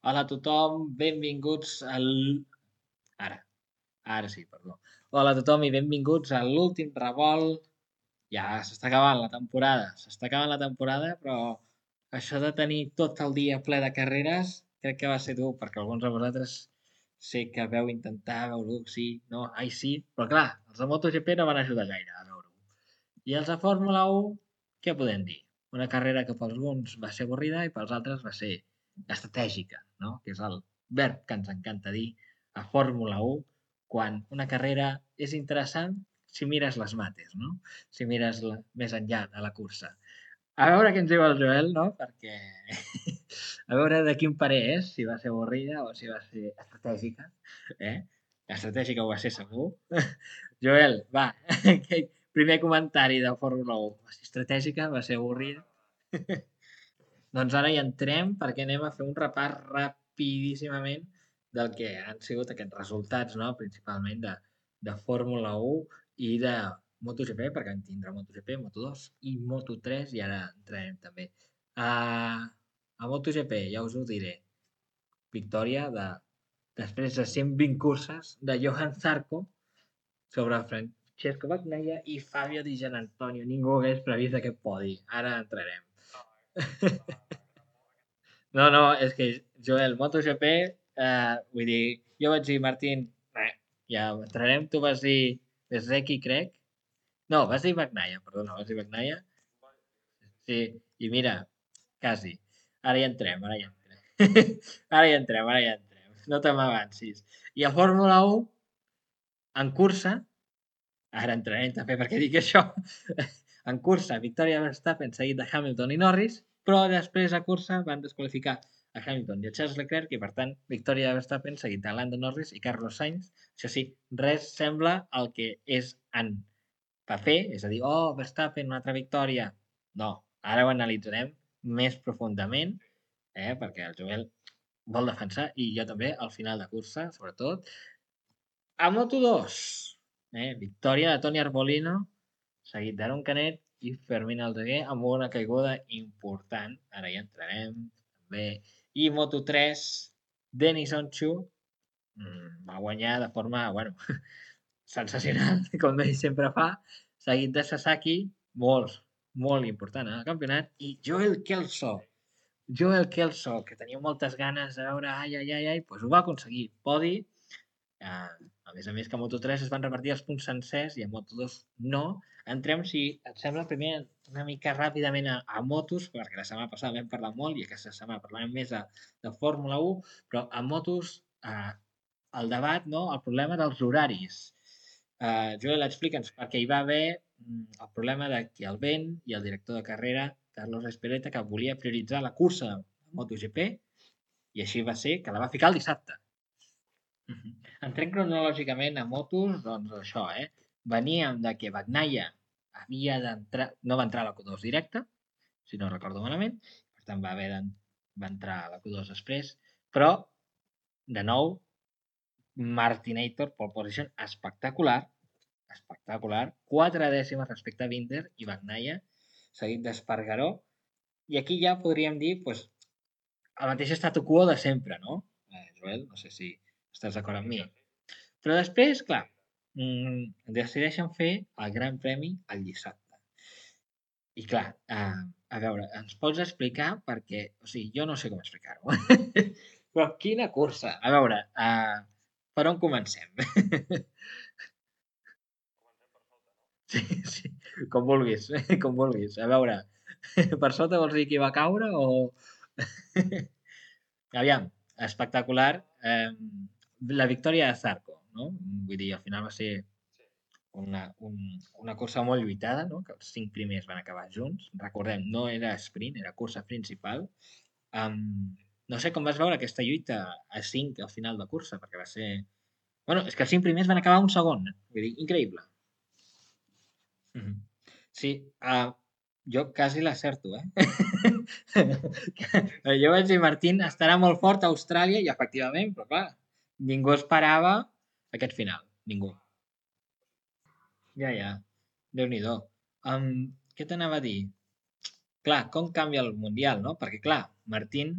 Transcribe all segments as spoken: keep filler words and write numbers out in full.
Hola a tothom, benvinguts al... Ara, ara sí, perdó. Hola a tothom i benvinguts a l'últim revolt. Ja s'està acabant la temporada, s'està acabant la temporada, però això de tenir tot el dia ple de carreres crec que va ser dur, perquè alguns de vosaltres sé que veu intentar veure-ho, sí, no, ai sí, però clar, els de MotoGP no van ajudar gaire a veure-ho. I els de Fórmula un, què podem dir? Una carrera que per alguns va ser avorrida i pels altres va ser estratègica, no? Que és el verb que ens encanta dir a Fórmula un quan una carrera és interessant si mires les mates, no? Si mires la, més enllà de la cursa. A veure què ens diu el Joel, no? Perquè a veure de quin parer és, si va ser avorrida o si va ser estratègica. Eh? Estratègica ho va ser segur. Joel, va, primer comentari de Fórmula un. Va ser estratègica, va ser avorrida. Doncs ara hi entrem perquè anem a fer un repàs rapidíssimament del que han sigut aquests resultats, no? Principalment de, de Fórmula un i de MotoGP, perquè en tindrà MotoGP, Moto dos i Moto tres, i ara entrarem també. A, a MotoGP, ja us ho diré, victòria de, després de cent vint curses de Johan Zarco sobre Francesco Bagnaia i Fabio Di Giannantonio. Ningú hagués previst aquest podi. Ara entrarem. No, no, és que, Joel, MotoGP, eh, vull dir, jo vaig dir, Martín, eh, ja entrarem, tu vas dir Bezeki, crec. No, vas dir Bagnaia, perdona, vas dir Bagnaia. Sí, i mira, quasi. Ara hi entrem, ara hi entrem. Ara hi entrem, ara hi entrem. No te m'avancis. I a Fórmula un, en cursa, ara entrarem també perquè dic això, en cursa, victòria de Verstappen seguit de Hamilton i Norris, però després a cursa van desqualificar a Hamilton i a Charles Leclerc i, per tant, victòria de Verstappen seguit de Lando Norris i Carlos Sainz. Això sí, res sembla el que és en paper, és a dir, oh, Verstappen, una altra victòria. No, ara ho analitzarem més profundament, eh, perquè el Joel vol defensar, i jo també, al final de cursa, sobretot. A Moto dos, eh, victòria de Toni Arbolino, seguit d'Aaron Canet i Fermín Aldeguer amb una caiguda important. Ara hi entrarem, també. I Moto tres, Denis Onchu mm, va guanyar de forma, bueno, sensacional, com ell sempre fa, seguit de Sasaki, molt, molt important en el campionat, i Joel Kelso. Joel Kelso, que tenia moltes ganes de veure, ai, ai, ai, ai, doncs ho va aconseguir. Podi, eh, a més a més que a Moto tres es van repartir els punts sencers i a Moto dos no. Entrem, si et sembla, primer una mica ràpidament a, a motos, perquè la setmana passada vam parlar molt i aquesta setmana parlarem més de, de Fórmula un, però a motos eh, el debat, no? El problema dels horaris. Uh, Joel, explica'ns, perquè hi va haver mm, el problema de que el vent i el director de carrera, Carlos Espeleta, que volia prioritzar la cursa de MotoGP, i així va ser que la va ficar el dissabte. Uh -huh. Entrem cronològicament a motos, doncs això, eh? Veníem de que Bagnaia havia d'entrar, no va entrar a la Q dos directa, si no recordo malament, per tant va haver de, va entrar a la Q dos després, però, de nou, Martinator, pole position, espectacular, espectacular, quatre dècimes respecte a Binder i Bagnaia, seguit d'Espargaró, i aquí ja podríem dir, pues, el mateix statu quo de sempre, no? Eh, Joel, no sé si estàs d'acord amb mi. Però després, clar, mmm, decideixen fer el Gran Premi el dissabte. I clar, eh, a veure, ens pots explicar perquè, o sigui, jo no sé com explicar-ho. Però quina cursa! A veure, eh, per on comencem? Sí, sí, com vulguis, com vulguis. A veure, per sota vols dir qui va caure o... Aviam, espectacular. Eh, la victòria de Zarco, no? Vull dir, al final va ser una, un, una cursa molt lluitada, no? Que els cinc primers van acabar junts. Recordem, no era sprint, era cursa principal. Um, no sé com vas veure aquesta lluita a cinc al final de cursa, perquè va ser... Bueno, és que els cinc primers van acabar un segon. Vull dir, increïble. Mhm. Sí, ah, jo quasi l'acerto, eh? Jo vaig dir, Martín estarà molt fort a Austràlia, i efectivament, però clar, ningú esperava aquest final, ningú. Ja, ja, Déu-n'hi-do. Um, què t'anava a dir? Clar, com canvia el Mundial, no? Perquè, clar, Martín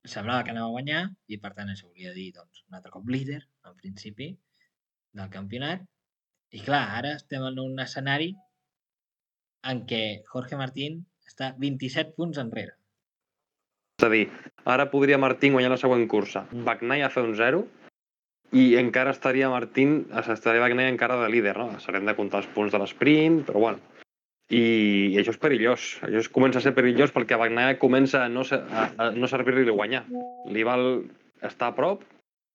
semblava que anava a guanyar i, per tant, això volia dir, doncs, un altre cop líder, en principi, del campionat. I, clar, ara estem en un escenari en què Jorge Martín està vint-i-set punts enrere. És a dir, ara podria Martín guanyar la següent cursa, Bagnaia fer un zero i encara estaria Martín, estaria Bagnaia encara de líder, no? S'haurem de comptar els punts de l'esprint, però bueno. I, I això és perillós. Això es comença a ser perillós perquè a Bagnaia comença a no, ser, a, a no servir-li guanyar. Li val estar a prop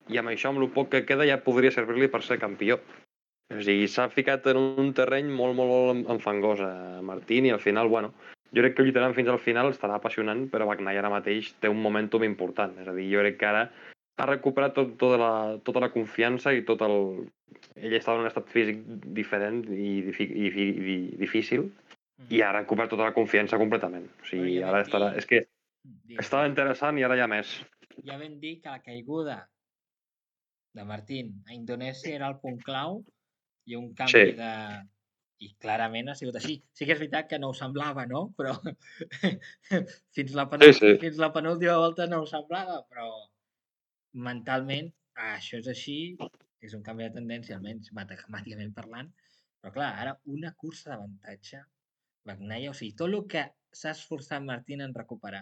i amb això, amb el poc que queda, ja podria servir-li per ser campió. O sigui, s'ha ficat en un terreny molt, molt, molt enfangós a Martín i al final, bueno, jo crec que lluitaran fins al final, estarà apassionant, però Bagnaia ara mateix té un momentum important. És a dir, jo crec que ara ha recuperat tot, tota, la, tota la confiança i tot el... Ell estava en un estat físic diferent i, i, i, i difícil i ha recuperat tota la confiança completament. O sigui, Però ja ara vam estarà... dir... És que Digues, estava digues. interessant i ara hi ha més. Ja vam dir que la caiguda de Martín a Indonèsia era el punt clau i un canvi Sí. de... I clarament ha sigut així. Sí que és veritat que no ho semblava, no? Però fins la, Sí, penúltima, sí. fins la penúltima volta no ho semblava, però mentalment ah, això és així, és un canvi de tendència, almenys matemàticament parlant, però clar, ara una cursa d'avantatge, Bagnaia, o sigui, tot el que s'ha esforçat Martín en recuperar,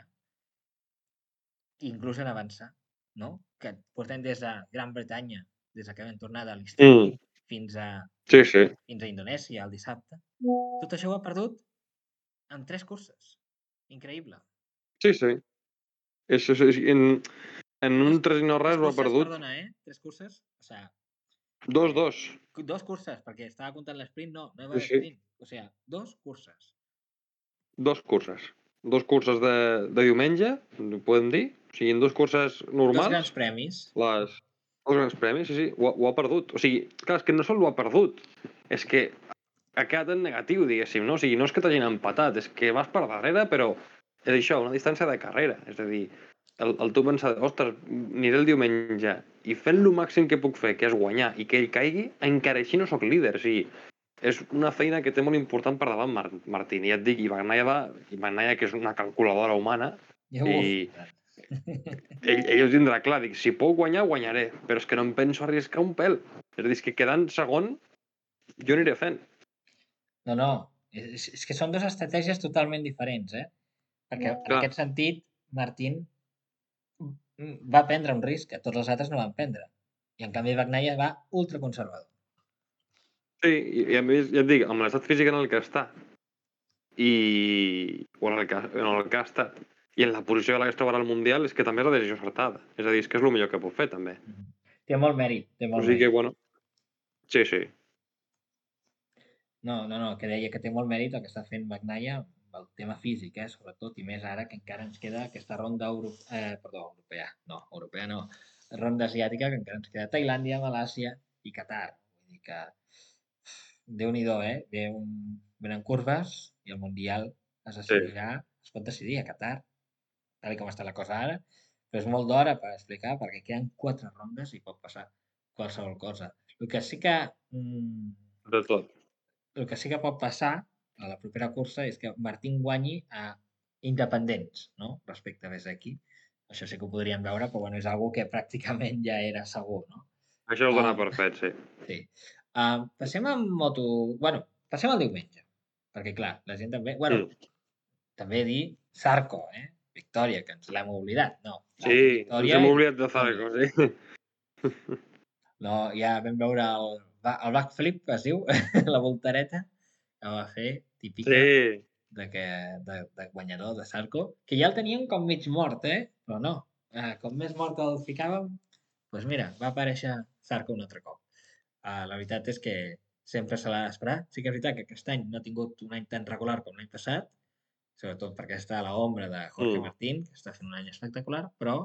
inclús en avançar, no? Que portem des de Gran Bretanya, des que vam tornar de l'estiu, Mm. fins a Sí, sí. fins a Indonèsia el dissabte. Tot això ho ha perdut en tres curses. Increïble. Sí, sí. És, és, és, en, en un Dos, tres i no tres res ho ha curses, perdut. perdona, eh? Tres curses. O sea, Dos, eh, dos. dos curses, perquè estava comptant l'esprint, no, no hi va Sí, haver sí. sprint. O sea, dos curses. Dos curses. Dos curses de, de diumenge, podem dir. O sigui, en dos curses Dos normals, grans premis. les, els grans premis, sí, sí, ho, ha- ho ha perdut. O sigui, clar, és que no sol ho ha perdut, és que ha quedat en negatiu, diguéssim, no? O sigui, no és que t'hagin empatat, és que vas per darrere, però és això, una distància de carrera. És a dir, el, el tu pensar, ostres, aniré el diumenge i fent el màxim que puc fer, que és guanyar, i que ell caigui, encara així no sóc líder. O sigui, és una feina que té molt important per davant Mar Martín. I ja et dic, i Bagnaia, va, i Bagnaia, que és una calculadora humana, Ja ho i he ell, ell ho tindrà clar. Dic, si puc guanyar, guanyaré, però és que no em penso arriscar un pèl. És a dir, és que quedant segon, jo aniré fent. No, no, és, és que són dues estratègies totalment diferents, eh? Perquè en Clar. aquest sentit, Martín va prendre un risc que tots els altres no van prendre. I en canvi Bagnaia va ultraconservador. Sí, i, i a més, ja et dic, amb l'estat físic en el que està, i... o en el que, en el que ha estat, i en la posició de la que es trobarà al Mundial, és que també és la decisió acertada. És a dir, és que és el millor que pot fer, també. Mm -hmm. Té molt mèrit, té O molt sigui que, mèrit. bueno, sí, sí. No, no, no, que deia que té molt mèrit el que està fent Bagnaia amb el tema físic, eh, sobretot, i més ara que encara ens queda aquesta ronda euro... eh, perdó, europea, no, europea no, ronda asiàtica, que encara ens queda Tailàndia, Malàsia i Qatar. Vull dir que, Déu-n'hi-do, eh? Ve un... Venen curves i el Mundial es Sí. decidirà, es pot decidir a Qatar, tal com està la cosa ara, però és molt d'hora per explicar, perquè queden quatre rondes i pot passar qualsevol cosa. El que sí que... Mm, De tot. el que sí que pot passar a la propera cursa és que Martín guanyi a independents, no? Respecte a Bezzecchi. Això sí que ho podríem veure, però bueno, és algo que pràcticament ja era segur, no? Això ho dona Uh, per fet, sí. sí. Uh, passem a moto... Bueno, passem al diumenge. Perquè, clar, la gent també... Bueno, Mm. també dir Zarco, eh? Victòria, que ens l'hem oblidat. No, Sí, ens victòria hem i oblidat de victòria. Zarco, sí. No, ja vam veure el, el backflip, es diu, la voltareta que va fer, típica Sí. de, que, de, de guanyador de Zarco, que ja el tenien com mig mort, eh? Però no, eh, com més mort el ficàvem, doncs mira, va aparèixer Zarco un altre cop. Uh, la veritat és que sempre se l'ha d'esperar. Sí que és veritat que aquest any no ha tingut un any tan regular com l'any passat, sobretot perquè està a l'ombra de Jorge Mm. Martín, que està fent un any espectacular, però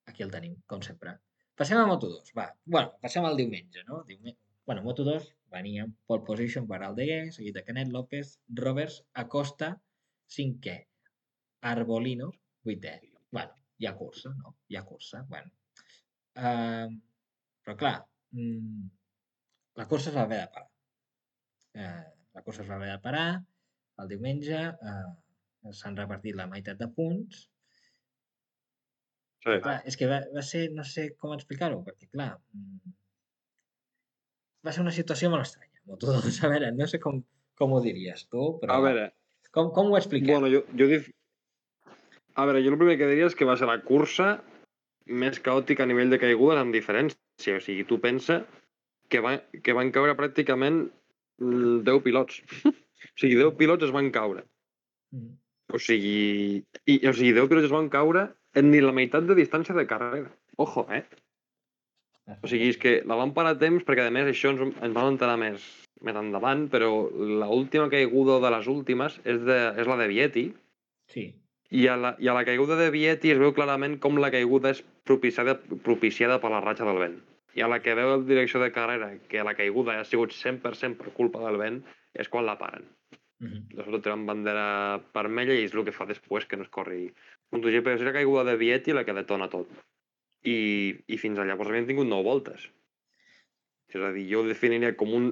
aquí el tenim, com sempre. Passem a Moto dos, va. Bueno, passem al diumenge, no? Diumenge. Bueno, Moto dos venia en pole position per Aldeguer, seguit de Canet López, Roberts, Acosta, cinquè, Arbolino, vuitè. Bueno, hi ha cursa, no? Hi ha cursa, bueno. Uh, però clar, mm, la cursa es va haver de parar. Uh, la cursa es va haver de parar el diumenge, uh, s'han repartit la meitat de punts Sí. Clar, és que va, va ser, no sé com explicar-ho, perquè clar, mm, va ser una situació molt estranya. Moto dos, a veure, no sé com, com ho diries tu, A però veure, com, com ho expliquem? bueno, jo, jo dif... A veure, jo el primer que diria és que va ser la cursa més caòtica a nivell de caigudes amb diferència. O sigui, tu pensa que, va, que van caure pràcticament mm, deu pilots. O sigui, deu pilots es van caure. Mm. O sigui, i, o sigui, deu pilots es van caure en ni la meitat de distància de carrera. Ojo, eh? O sigui, és que la van parar a temps perquè, a més, això ens, ens vam enterar més, més endavant, però l'última caiguda de les últimes és, de, és la de Vietti, Sí. i a, la, i a la caiguda de Vietti es veu clarament com la caiguda és propiciada, propiciada per la ratxa del vent. I a la que veu el direcció de carrera que la caiguda ha sigut cent per cent per culpa del vent, és quan la paren. Mm -hmm. De sobte tenen bandera vermella i és el que fa després que no es corri MotoGP. És la caiguda de Vietti la que detona tot. I, i fins a llavors havien tingut nou voltes. És a dir, jo ho definiria com un,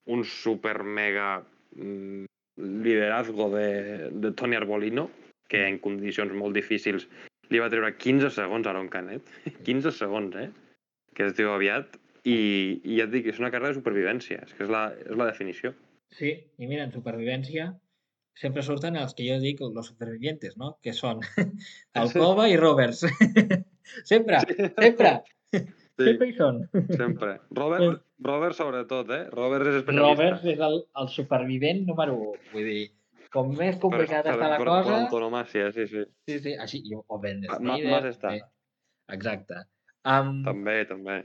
un super mega mm, liderazgo de, de Toni Arbolino, que en condicions molt difícils li va treure quinze segons a Aron Canet. quinze segons, eh? Que es diu aviat. I, i ja et dic, és una carrera de supervivència. És que és la, és la definició. Sí, i mira, en supervivència sempre surten els que jo dic los supervivientes, ¿no? Que són Alcoba i Roberts. sempre, sempre, Sí, sempre hi són. sempre. Robert, Robert sobretot, eh? Robert és especialista. Roberts és el, el supervivent número u. Vull dir, com més Per, complicada per, està la per, cosa... per antonomàsia, sí, sí. Sí, sí, així, i- o Ben Ma, Snyder, Mas està. també. Exacte. Um, També, també.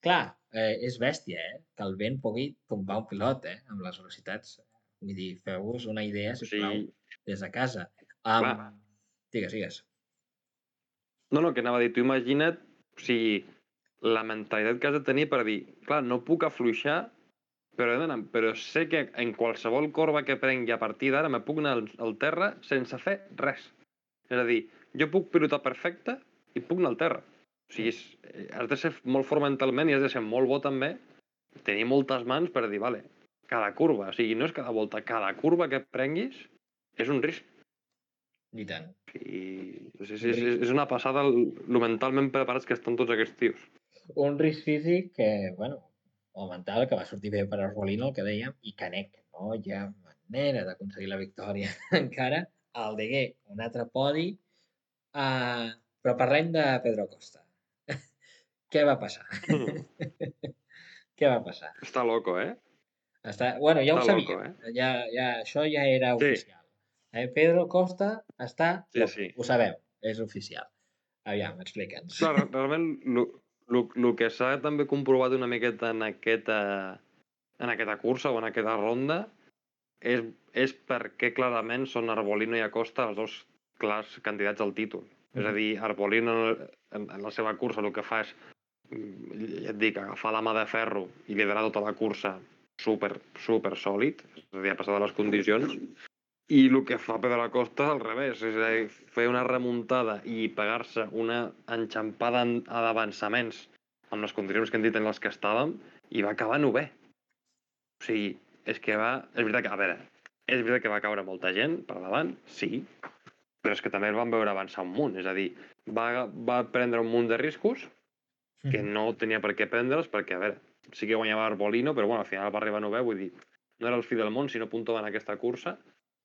clar, eh, és bèstia, eh? Que el vent pugui tombar un pilot, eh? Amb les velocitats. Vull dir, feu-vos una idea, O sisplau, sigui, des de casa. Um, clar. digues, digues. No, no, que anava a dir, tu imagina't, o sigui, la mentalitat que has de tenir per dir, clar, no puc afluixar, però, he d'anar- però sé que en qualsevol corba que prengui a partir d'ara me puc anar al, al terra sense fer res. És a dir, jo puc pilotar perfecte i puc anar al terra. O sigui, és, eh, has de ser molt fort mentalment i has de ser molt bo també, tenir moltes mans per dir, vale, cada curva, o sigui, no és cada volta, cada curva que prenguis és un risc. I tant. I és, és, Un, és, ri és una passada el, lo mentalment preparats que estan tots aquests tios. un risc físic que, bueno, o mental, que va sortir bé per Arbolino, el que dèiem, i Canet, no hi ha manera d'aconseguir la victòria encara. El Degué, un altre podi, uh, però parlem de Pedro Costa. Què va passar? Què va passar? Està loco, eh? Està... Bueno, ja ho Està loco, sabíem. eh? Ja, ja, això ja era Sí, oficial. Eh? Pedro Costa està sí, loco. sí. Ho sabeu, és oficial. Aviam, explica'ns. Clar, re- realment, el que s'ha també comprovat una miqueta en aquesta, en aquesta cursa o en aquesta ronda és, és perquè clarament són Arbolino i Acosta els dos clars candidats al títol. És a dir, Arbolino en, en la seva cursa el que fa és, mm, ja et dic, agafar la mà de ferro i liderar tota la cursa super, super sòlid, és a dir, a passar de les condicions, i el que fa Pedro Acosta és al revés, és a dir, fer una remuntada i pegar-se una enxampada d'avançaments amb les condicions que hem dit en les que estàvem, i va acabar novè. O sigui, és que va... És veritat que, a veure, és veritat que va caure molta gent per davant, sí, però és que també el van veure avançar un munt. És a dir, va, va prendre un munt de riscos que no tenia per què prendre'ls, perquè, a veure, sí que guanyava Arbolino, però bueno, al final va arribar novè, vull dir, no era el fi del món si no puntava en aquesta cursa,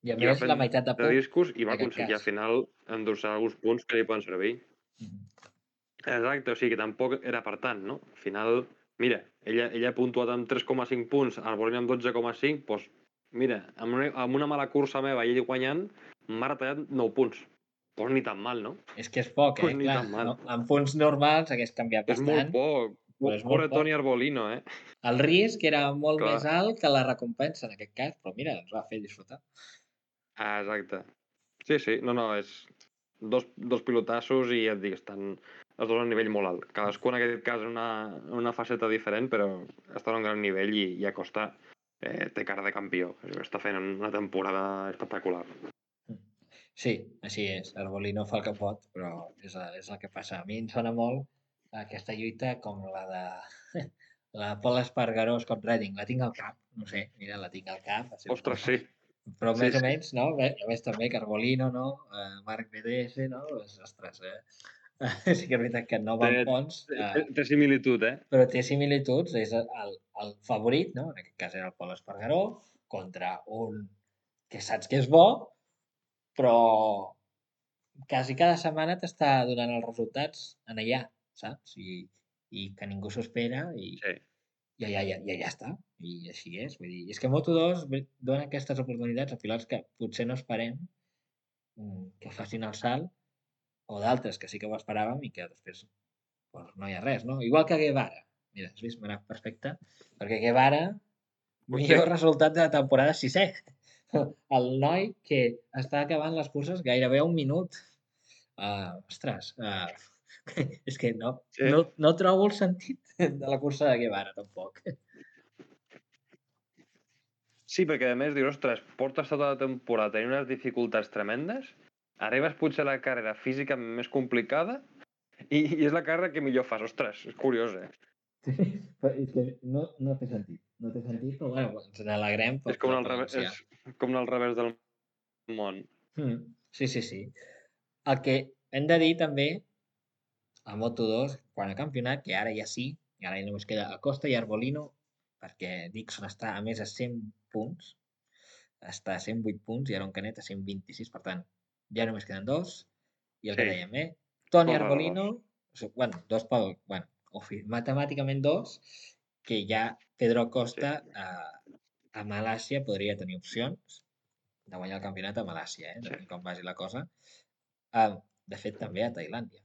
I a i va més, la meitat de prendre punt, riscos i en va aquest aconseguir al cas. final endur-se alguns punts que li poden servir. Mhm. Exacte, o sigui que tampoc era per tant, no? Al final, mira, ella, ella ha puntuat amb tres coma cinc punts, Arbolino amb dotze coma cinc, doncs mira, amb una, amb una mala cursa meva i ell guanyant, m'ha retallat nou punts. Doncs ni tan mal, no? És que és poc, eh? Pues ni Clar, tan mal. en punts normals hagués canviat És molt bastant, poc. però és molt Pobre poc. Toni Arbolino, eh? El risc era molt Clar. més alt que la recompensa en aquest cas, però mira, ens va fer disfrutar. Ah, exacte. Sí, sí, no, no, és dos, dos pilotassos i ja et dic, estan els dos a un nivell molt alt. Cadascú en aquest cas en una, en una faceta diferent, però estan a un gran nivell i, i Acosta eh, té cara de campió. Està fent una temporada espectacular. Sí, així és. Arbolino fa el que pot, però és, és el que passa. A mi em sona molt aquesta lluita com la de la Pol Espargaró Scott Redding. La tinc al cap, no sé, mira, la tinc al cap. Ostres, sí. Però Sí, més o sí. menys, no? A més també que Arbolino, no? Eh, Marc B D S, no? Pues, ostres, eh? Sí que és veritat que no va Té, amb Pons, té, eh, té similitud, eh? però té similituds, és el, el favorit, no? En aquest cas era el Pol Espargaró, contra un que saps que és bo, però quasi cada setmana t'està donant els resultats en allà, saps? I, i que ningú s'ho espera i, Sí. i allà, ja, ja, ja està. I així és. Vull dir, és que Moto dos dona aquestes oportunitats a pilots que potser no esperem mm, que facin el salt, o d'altres que sí que ho esperàvem i que després pues, no hi ha res, no? Igual que Guevara. Mira, has vist? M'ha anat perfecte. Perquè Guevara, Hosti, millor resultat de la temporada sisè. El noi que està acabant les curses gairebé a un minut. Uh, ostres, uh, és que no, sí. no, no trobo el sentit de la cursa de Guevara, tampoc. Sí, perquè a més dius, ostres, portes tota la temporada tenint unes dificultats tremendes, arribes potser a la carrera física més complicada i, i és la carrera que millor fas. Ostres, és curiós, eh? Sí, però és que no, no té sentit. No té sentit, però bueno, ens n'alegrem pel És com, pilot al revés, valencià. és com al revés del món. Mm, sí, sí, sí. El que hem de dir també a Moto dos, quan a campionat, que ara ja sí, i ara ja només queda Acosta i Arbolino, perquè Dixon està a més a cent punts, està a cent vuit punts i Aaron Canet a cent vint-i-sis, per tant, ja només queden dos, i el Sí, que dèiem, eh? Toni cosa de Arbolino, dos. o sigui, bueno, dos pel, bueno, o fi, matemàticament dos, que ja Pedro Sí, Acosta a, a Malàcia podria tenir opcions de guanyar el campionat a Malàcia, eh? sí. Depèn com vagi la cosa. Ah, de fet, també a Tailàndia.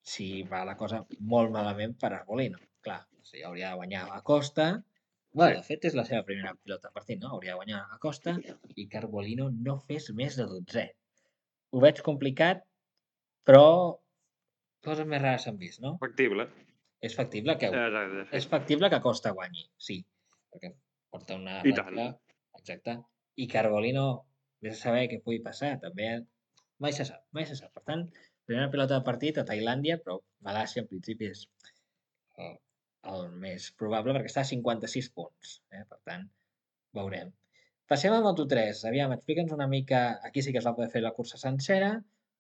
Si va la cosa molt malament per Arbolino. Clar, o sigui, hauria de guanyar a Costa. Sí. Bueno, de fet, és la seva primera pilota partit, no? Hauria de guanyar a Costa i que Arbolino no fes més de dotzè. Ho veig complicat, però coses més rares s'han vist, no? Factible. És factible que Exacte, sí. és factible que Costa guanyi, sí, perquè porta una I ratxa tant. exacta. I que Arbolino, vés a saber què pugui passar, també mai se sap, mai se sap. Per tant, primera pilota de partit a Tailàndia, però Malàcia en principi és el, el més probable perquè està a cinquanta-sis punts. Eh? Per tant, veurem. Passem a Moto tres. Aviam, explica'ns una mica... Aquí sí que es va poder fer la cursa sencera.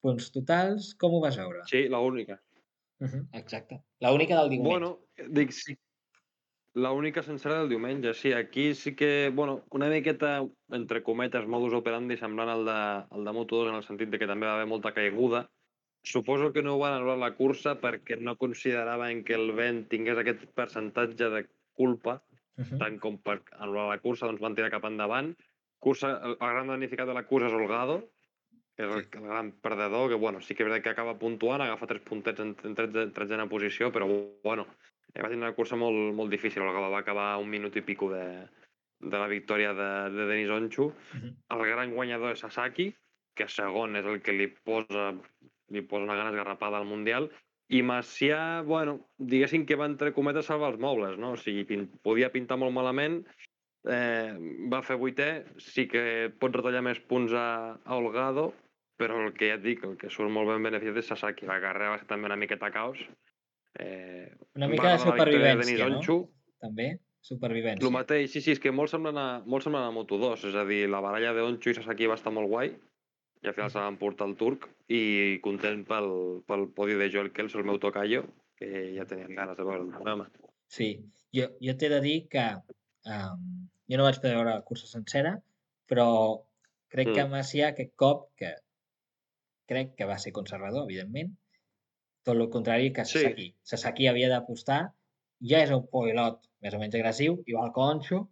Punts totals, com ho vas veure? Sí, la única. Uh -huh, exacte. La única del diumenge. Bueno, dic, sí, la única sencera del diumenge, sí. Aquí sí que, bueno, una miqueta, entre cometes, modus operandi semblant al de, al de Moto dos en el sentit de que també va haver molta caiguda. Suposo que no van anul·lar la cursa perquè no consideraven que el vent tingués aquest percentatge de culpa, Uh -huh. tant com per anul·lar la cursa, doncs van tirar cap endavant. Cursa, el, el gran damnificat de la cursa és Holgado, que és el, Sí. el gran perdedor, que bueno, sí que és veritat que acaba puntuant, agafa tres puntets en, en tretzena posició, però bueno, eh, va tenir una cursa molt, molt difícil. El Gala va acabar un minut i pico de, de la victòria de, de Denis Onchu. Uh -huh. El gran guanyador és Sasaki, que segon és el que li posa, li posa una gana esgarrapada al Mundial. I Macià, bueno, diguéssim que va entre cometes salvar els mobles, no? O sigui, pin, podia pintar molt malament, eh, va fer vuitè, sí que pot retallar més punts a, a Holgado, però el que ja et dic, el que surt molt ben beneficiat és Sasaki. La carrera va ser també una miqueta caos. Eh, Una va mica de rodar la victòria de Denis supervivència, no? Onchu. També, El supervivència. mateix, sí, sí, és que molt semblant a, molt semblant a Moto dos, és a dir, la baralla de Onchu i Sasaki va estar molt guai, i al final se van portar el turc, i content pel, pel podi de Joel Kelso, el meu tocayo, que ja tenien ganes de veure el programa. Sí, jo, jo t'he de dir que um, jo no vaig poder veure la cursa sencera, però crec que Mm. Macià aquest cop, que crec que va ser conservador, evidentment, tot el contrari que Sí, Sasaki. Sasaki havia d'apostar, ja és un pilot més o menys agressiu, igual que Onxo,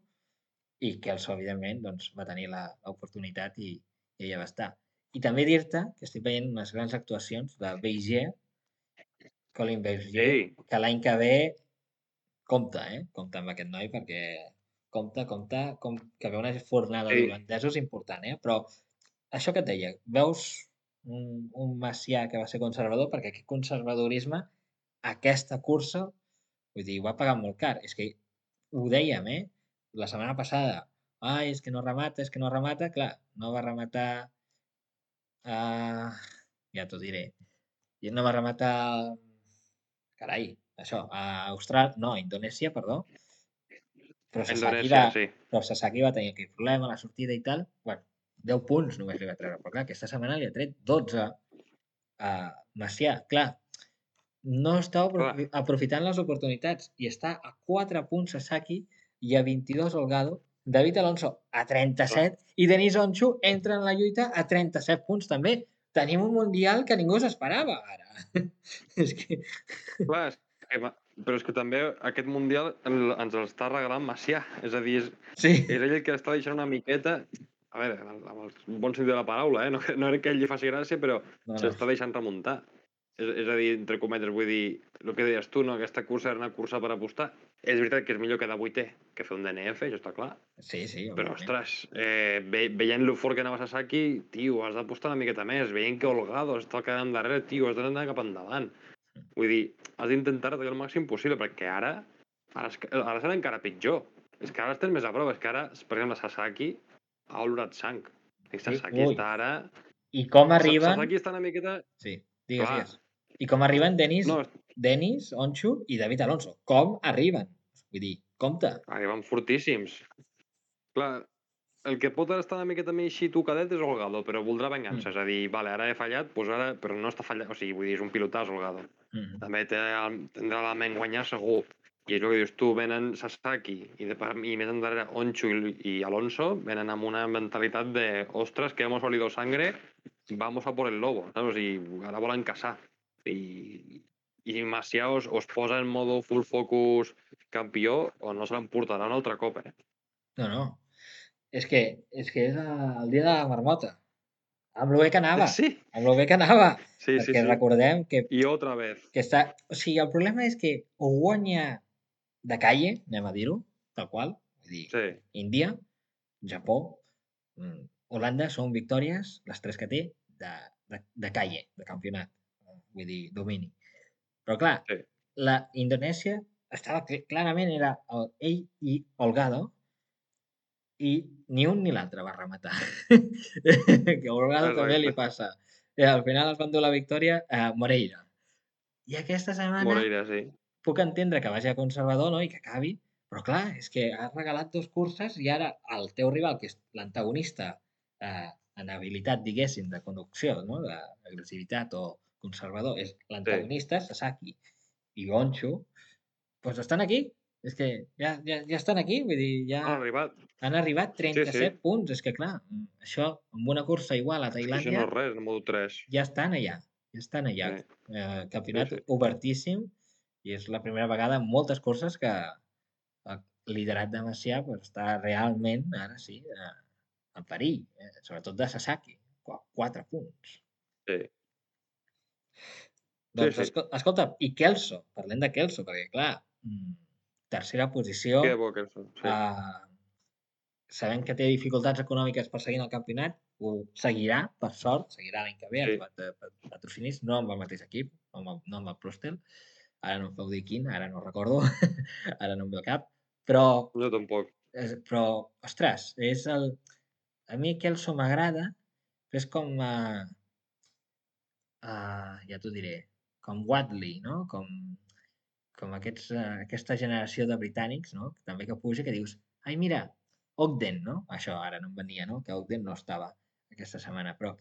i Kelso, evidentment, doncs, va tenir l'oportunitat i, i ella va estar. I també dir-te que estic veient unes grans actuacions de Beiger, Colin Beiger, sí, que l'any que ve compta, eh? Compta amb aquest noi perquè compta, compta, com que ve una fornada sí, d'holandesos important, eh? Però això que et deia, veus un, un Macià que va ser conservador perquè aquest conservadorisme, aquesta cursa, vull dir, ho va pagar molt car. És que ho dèiem, eh? La setmana passada, ai, és que no remata, és que no remata, clar, no va rematar, uh, ja t'ho diré, i no va rematar, carai, això, a Austràlia, no, a Indonèsia, perdó, però Sasaki va, Indonèsia, sí. però Sasaki va tenir aquell problema a la sortida i tal, bueno, deu punts només li va treure, però clar, aquesta setmana li ha tret dotze, uh, Macià, clar, no està Clar, aprofitant les oportunitats i està a quatre punts Sasaki i a vint-i-dos Holgado, David Alonso a clar. trenta-set i Denis Onchu entra en la lluita a trenta-set punts també. Tenim un mundial que ningú s'esperava ara. És que... Clar, és que, ma- però és que també aquest Mundial el, ens l'està regalant Macià. És a dir, és, Sí, és ell el que està deixant una miqueta... A veure, amb el bon sentit de la paraula, eh? No, que- no era que ell li faci gràcia, però no, no. s'està deixant remuntar. És, és a dir, entre cometes, vull dir, el que deies tu, no? Aquesta cursa era una cursa per apostar. És veritat que és millor quedar vuitè que fer un D N F, això està clar. Sí, sí, Però, òbviament. ostres, eh, ve, veient lo fort que anava Sasaki, tio, has d'apostar una miqueta més. Veient que Holgado està quedant darrere, tio, has d'anar cap endavant. Vull dir, has d'intentar retallar el màxim possible, perquè ara, ara, és que- ara serà encara pitjor. És que ara estem més a prova. És que ara, per exemple, Sasaki ha olorat sang. I Sí, Sasaki ui. està ara... I com Sa- arriben... Sasaki està una miqueta... Sí, digues, Clar, digues. I com arriben Denis, no, Denis, Onchu i David Alonso. Com arriben? Vull dir, compte. arriben fortíssims. Clar, el que pot estar una miqueta més així tocadet és Holgado, però voldrà vengança. Mm. És a dir, vale, ara he fallat, doncs ara... però no està fallant. O sigui, vull dir, és un pilotàs, Holgado. Mm. També té, tindrà la ment guanyar segur. I és el que dius tu, venen Sasaki i, de, i més endarrere Onchu i, i Alonso, venen amb una mentalitat de ostres, que hemos olido sangre, vamos a por el lobo, saps? O sigui, ara volen caçar. I, i Macià os, os posa en modo full focus campió o no se l'emportarà un altre cop, eh? No, no. És que és, que és el dia de la marmota. Amb lo bé que anava. Sí, Amb lo bé que anava. sí, sí, Perquè sí. recordem que, I otra vez. que està... O sigui, el problema és que o guanya de calle, anem a dir-ho, tal qual. Vull dir, Sí, Índia, Japó, mm, Holanda són victòries, les tres que té, de, de, de calle, de campionat. Vull dir, domini. Però clar, sí. la Indonèsia estava cl- clarament era el, ell i Holgado i ni un ni l'altre va rematar. Que a Holgado també li Exacte. passa. I al final es van dur la victòria a Moreira. I aquesta setmana Moreira, sí. puc entendre que vagi a conservador, no?, i que acabi, però clar, és que has regalat dos curses i ara el teu rival, que és l'antagonista eh, en habilitat, diguéssim, de conducció, no?, d'agressivitat o conservador, és Sí. l'antagonista, Sasaki i Goncho, doncs estan aquí. És que ja, ja, ja estan aquí, vull dir, ja Han arribat. han arribat Sí, trenta-set sí. punts. És que clar, això amb una cursa igual a És que això Tailàndia no és res, en modo tres. ja estan allà, ja estan allà. Sí, Eh, sí, campionat sí. obertíssim i és la primera vegada en moltes curses que el liderat de Macià pues, està realment, ara sí, eh, en perill, eh, sobretot de Sasaki, Qu- quatre punts. Sí, sí. Doncs, sí. esco- escolta, i Kelso, parlem de Kelso, perquè clar, mm, tercera posició, Que bo que són. Sí. eh, sabem que té dificultats econòmiques per seguir en el campionat, ho seguirà, per sort, seguirà l'any que ve, ha Sí. trobat eh, pat- patrocinís, no amb el mateix equip, no amb, el- no amb el Prostel, ara no em feu dir quin, ara no recordo, ara no em ve al cap, però, Jo tampoc. és, però ostres, és el... A mi Kelso m'agrada, però és com, uh, uh, ja t'ho diré, com Watley, no? Com, com aquests, uh, aquesta generació de britànics, no? També que puja, que dius, ai, mira, Ogden, no? Això ara no em venia, no? Que Ogden no estava aquesta setmana, però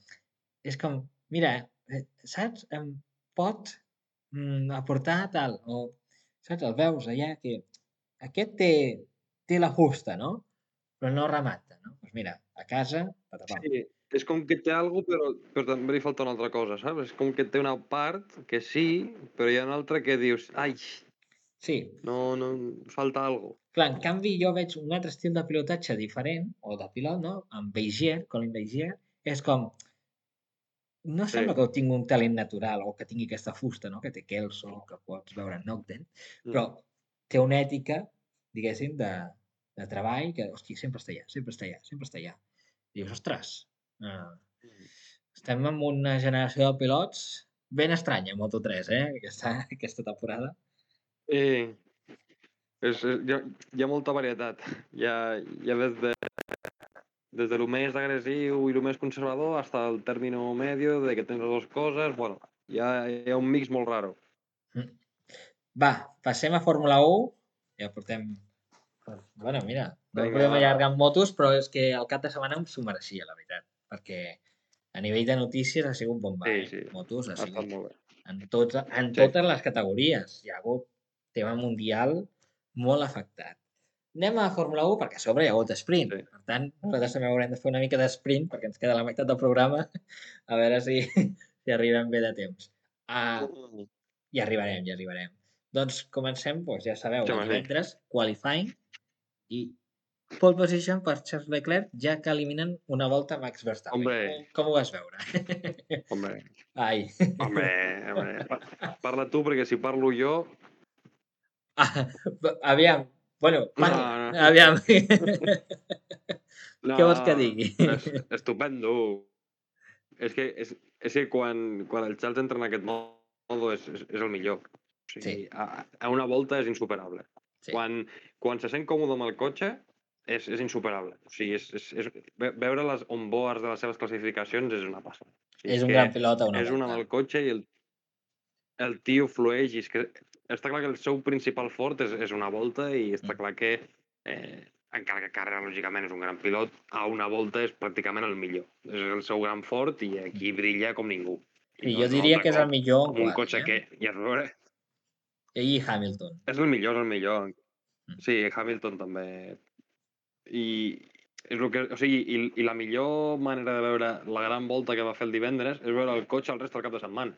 és com, mira, eh, saps? Em pot mm, aportar tal, o saps? El veus allà que aquest té, té la fusta, no? Però no remata, no? Doncs mira, a casa, patapam. Sí, és com que té algo, però, però també li falta una altra cosa, saps? És com que té una part que sí, però hi ha una altra que dius, ai, Sí, no, no, falta algo. clar, en canvi jo veig un altre estil de pilotatge diferent, o de pilot, no? Amb Beigier, Colin Beigier, és com, no Sí. sembla que tingui un talent natural o que tingui aquesta fusta, no? Que té Kelso, que pots veure en Ogden, Mm. però té una ètica, diguéssim, de, de treball que, hosti, sempre està allà, sempre està allà, sempre està allà. I dius, ostres, eh, estem en una generació de pilots ben estranya, Moto tres, eh? Aquesta, aquesta temporada. Eh, és, és, hi, ha, hi ha molta varietat. Hi ha, hi ha des de, des de lo més agressiu i lo més conservador hasta el término medio de que tens les dues coses. Bueno, hi ha, hi ha un mix molt raro. Mm. Va, passem a Fórmula u. Ja portem... Bueno, mira, no Vinga, podem va. allargar amb motos, però és que el cap de setmana s'ho mereixia, la veritat. Perquè a nivell de notícies ha sigut bomba, Sí, eh? sí, Motos ha ha estat sigut molt bé. en, tots, en Sí. totes les categories. Hi ha hagut tema mundial molt afectat. Anem a Fórmula u perquè a sobre hi ha hagut sprint. Sí. Per tant, nosaltres també haurem de fer una mica d'esprint perquè ens queda la meitat del programa a veure si, si arribem bé de temps. Uh, Mm. ja arribarem, ja arribarem. Doncs comencem, doncs, ja sabeu, Sí, el home, sí. divendres, qualifying i pole position per Charles Leclerc, ja que eliminen una volta Max Verstappen. Hombre. Com, com ho vas veure? Hombre. Ai. Home, home. Pa- Parla tu, perquè si parlo jo... Ah, aviam, bueno, parla, No, no. aviam. No, Què vols que digui? és estupendo. És que, és, és que quan, quan el Charles entra en aquest modo és, és, és el millor. O sigui, Sí. a, a una volta és insuperable. Sí. Quan, quan se sent còmode amb el cotxe, és, és insuperable. O sigui, és, és, és, ve- veure les onboards de les seves classificacions és una passada. O sigui, És un que gran pilot a una és un amb volta. el cotxe i el, el tio flueix. I és que està clar que el seu principal fort és, és una volta i està Mm. clar que, eh, encara que Carrera, lògicament, és un gran pilot, a una volta és pràcticament el millor. És el seu gran fort i aquí brilla com ningú. I Sí, no jo és un diria altre que és el cop millor en amb un quali, cotxe eh? que... I a veure, Ell i Hamilton. és el millor, és el millor. Mm. Sí, Hamilton també. I és el que, o sigui, i, i la millor manera de veure la gran volta que va fer el divendres és veure el cotxe el rest del cap de setmana.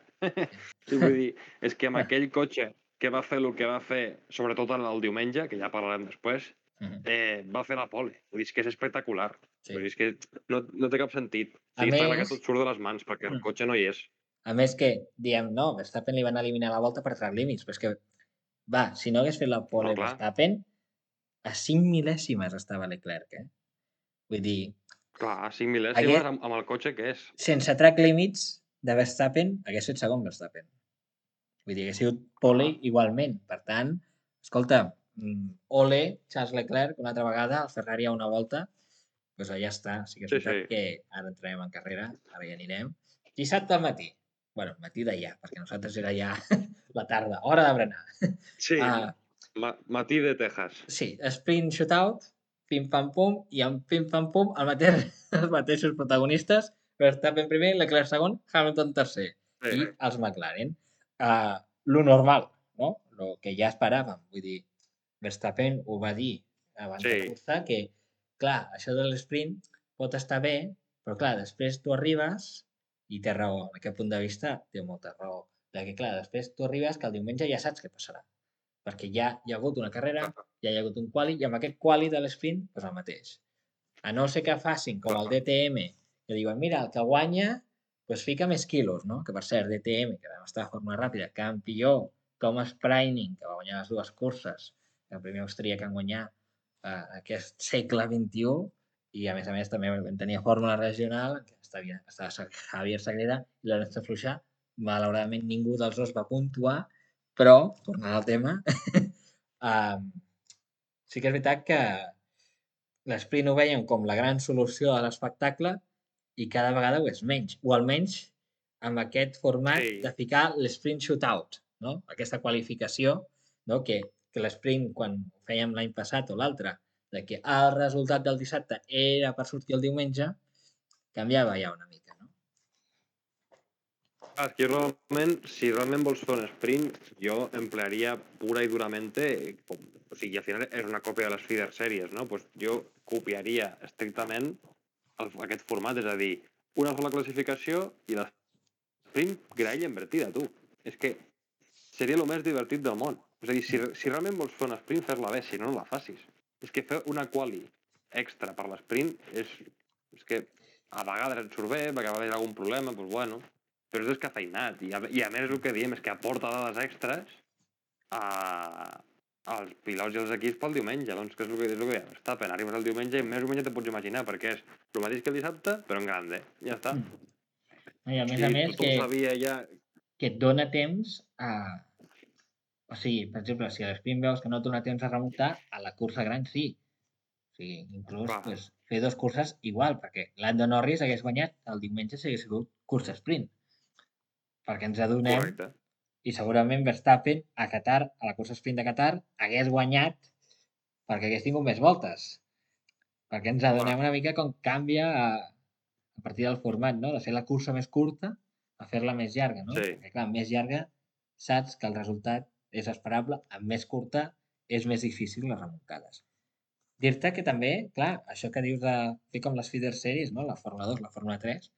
Sí, vull dir, és que amb aquell cotxe que va fer el que va fer, sobretot el, el diumenge, que ja parlarem després, Mhm. eh, va fer la pole. Vull dir, és que és espectacular. Sí. Vull dir, és que no, no té cap sentit. O A sigui, està clar que més- tot surt de les mans, perquè el Mm. cotxe no hi és. A més que, diem, no, Verstappen li van eliminar la volta per track límits, però és que, va, si no hagués fet la pole No, clar. Verstappen, a cinc mil·lèsimes estava Leclerc, eh? Vull dir, Clar, cinc mil·lèsimes Hagué- amb, amb el cotxe que és. sense track limits de Verstappen, hagués fet segon Verstappen. Vull dir, hagués sigut pole Ah. igualment. Per tant, escolta, mm, ole, Charles Leclerc, una altra vegada, el Ferrari a una volta, doncs allà està. Sí que és Sí, veritat sí. que ara entrarem en carrera, ara ja anirem. Dissabte al matí. Bueno, matí d'allà, perquè nosaltres era ja la tarda, hora de berenar. Sí, Ah, ma matí de Texas. sí, sprint shootout, pim-pam-pum, i amb pim-pam-pum el mateix, els mateixos protagonistes, Verstappen primer, Leclerc segon, Hamilton tercer, Sí. i els McLaren. Uh, lo normal, no? Lo que ja esperàvem, vull dir, Verstappen ho va dir abans Sí. de cursa, que, clar, això de l'esprint pot estar bé, però, clar, després tu arribes, i té raó, en aquest punt de vista té molta raó, perquè, clar, després tu arribes que el diumenge ja saps què passarà, perquè ja hi ha hagut una carrera, ja hi ha hagut un quali, i amb aquest quali de l'esprint, doncs el mateix. A no ser que facin com el D T M, que diuen, mira, el que guanya, doncs fica més quilos, no? Que per cert, D T M, que vam estar de forma ràpida, campió, Thomas Preining, que va guanyar les dues curses, el primer austríac en guanyar eh, aquest segle vint-i-u, i a més a més també vam tenir fórmula regional, que estava, estava Javier Sagrera i Lorenzo Fluixà. Malauradament ningú dels dos va puntuar, però, tornant al tema, um, sí que és veritat que l'esprint ho veiem com la gran solució a l'espectacle i cada vegada ho és menys, o almenys amb aquest format Sí. de ficar l'esprint shootout, no? Aquesta qualificació, no? que, que l'esprint, quan ho fèiem l'any passat o l'altre, de que el resultat del dissabte era per sortir el diumenge, canviava ja una mica, no? Ah, és que realment, si realment vols fer un sprint, jo emplearia pura i duramente, com, o sigui, al final és una còpia de les feeder series, no? Pues jo copiaria estrictament el, aquest format, és a dir, una sola classificació i l'esprint graella invertida, tu. És que seria el més divertit del món. És a dir, si, si realment vols fer un sprint, fer-la bé, si no, no la facis. És que fer una quali extra per l'esprint és, és que a vegades et surt bé, perquè va haver algun problema, doncs bueno, però és descafeinat. I a, i a més el que diem és que aporta dades extres a, als pilots i als equips pel diumenge. Doncs que és el que, és el que diem. Verstappen, arribes el diumenge i més o menys te pots imaginar, perquè és el mateix que el dissabte, però en grande. Ja està. I a més a I més tothom que, sabia ja... que et dona temps a... O sigui, per exemple, si a l'esprint veus que no et dona temps a remuntar, a la cursa gran sí. O sigui, inclús Clar. pues, fer dos curses igual, perquè Lando Norris hagués guanyat el diumenge si hagués sigut cursa sprint. Perquè ens adonem, Correcte. i segurament Verstappen a Qatar, a la cursa sprint de Qatar, hagués guanyat perquè hagués tingut més voltes. Perquè ens adonem una mica com canvia a partir del format, no? De fer la cursa més curta a fer-la més llarga, no? Sí. Perquè, clar, més llarga saps que el resultat és esperable, amb més curta és més difícil les remuntades. Dir-te que també, clar, això que dius de fer com les feeder series, no? La Fórmula dos, la Fórmula tres,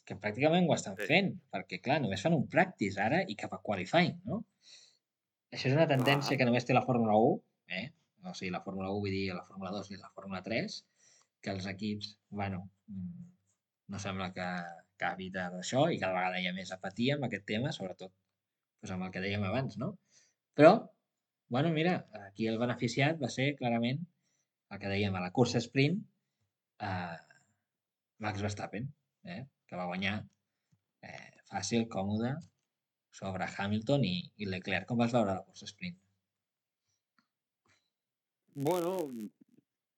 que pràcticament ho estan Sí. fent, perquè, clar, només fan un practice ara i cap a qualifying, no? Això és una tendència Clar. que només té la Fórmula un, eh? O sigui, la Fórmula un, vull dir, la Fórmula dos i la Fórmula tres, que els equips, bueno, mm, no sembla que acabi d'això i cada vegada hi ha més apatia amb aquest tema, sobretot doncs amb el que dèiem abans, no? Però, bueno, mira, aquí el beneficiat va ser clarament el que dèiem a la cursa sprint, eh, Max Verstappen, eh? Que va guanyar eh, fàcil, còmode, sobre Hamilton i, i Leclerc. Com vas veure la cursa sprint? Bueno,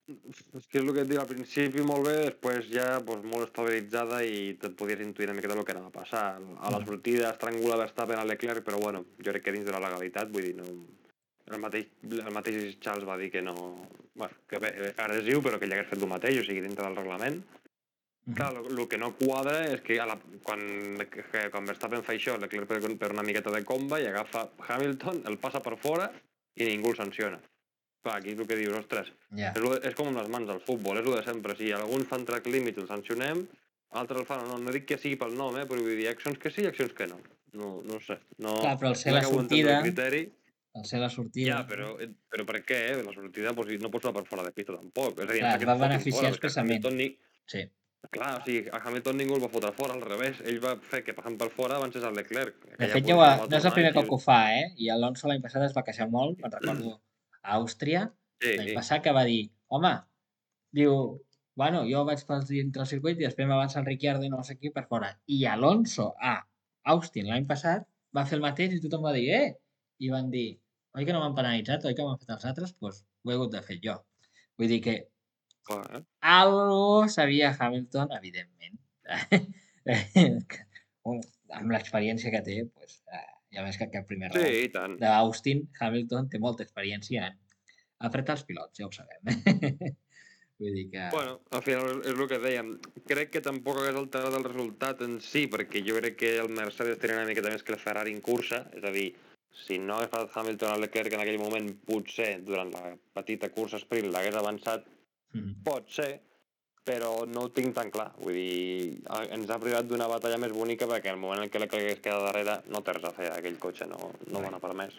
és que és el que et dic, al principi molt bé, després ja pues, molt estabilitzada i te'n podies intuir una miqueta el que anava a passar. A la Mm. sortida estrangula Verstappen a Leclerc, però bueno, jo crec que dins de la legalitat, vull dir, no... El mateix, el mateix Charles va dir que no... Bueno, que bé, agressiu, però que ell hagués fet el mateix, o sigui, dintre del reglament. Mhm. Clar, el que no quadra és que, a la, quan, que quan Verstappen fa això, Leclerc per, per una miqueta de comba i agafa Hamilton, el passa per fora i ningú el sanciona. Clar, aquí és el que dius, ostres, Ja. és, lo- és com amb les mans del futbol, és el de sempre. Si alguns fan track limit i el sancionem, altres el fan, no, no dic que sigui pel nom, eh, però vull dir, hi ha accions que sí i accions que no. No, no ho sé, no, Clar, però al ser no la acabo d'entendre sortida, el criteri. al ser la sortida, Ja, però, eh, però per què? Eh? La sortida pues, no pots anar per fora de pista tampoc. És a dir, clar, em es sap va que et fotin beneficiar fora, perquè a expressament. Hamilton ni... Sí. Clar, o sigui, a Hamilton ningú el va fotre fora, al revés. Ell va fer que passant per fora avancés el Leclerc. De Aquella fet, ja ho posició ha, la va no és el tornar primer i cop sí, que ho fa, eh? I Alonso l'any passat es va queixar molt, me'n recordo a Àustria, l'any sí, passat, que va dir, home, diu, bueno, jo vaig pel dintre el circuit i després m'avança el Ricciardo i no sé qui per fora. I Alonso a Austin l'any passat va fer el mateix i tothom va dir, eh? I van dir, oi que no m'han penalitzat, oi que m'han fet els altres? Doncs pues, ho he hagut de fer jo. Vull dir que clar, eh? algo sabia Hamilton, evidentment. Amb l'experiència que té, pues, eh, ja més que aquest primer Sí, round i tant. d'Austin, Hamilton té molta experiència en apretar els pilots, ja ho sabem. Vull dir que... Bueno, al final és el que dèiem. Crec que tampoc hagués alterat el resultat en si, perquè jo crec que el Mercedes tenia una miqueta més que el Ferrari en cursa, és a dir, si no hagués passat Hamilton a Leclerc en aquell moment, potser durant la petita cursa sprint l'hagués avançat, Mm. pot ser, però no ho tinc tan clar. Vull dir, a- ens ha privat d'una batalla més bonica perquè el moment en què Leclerc es queda darrere no té res a fer, aquell cotxe no, no dona per més.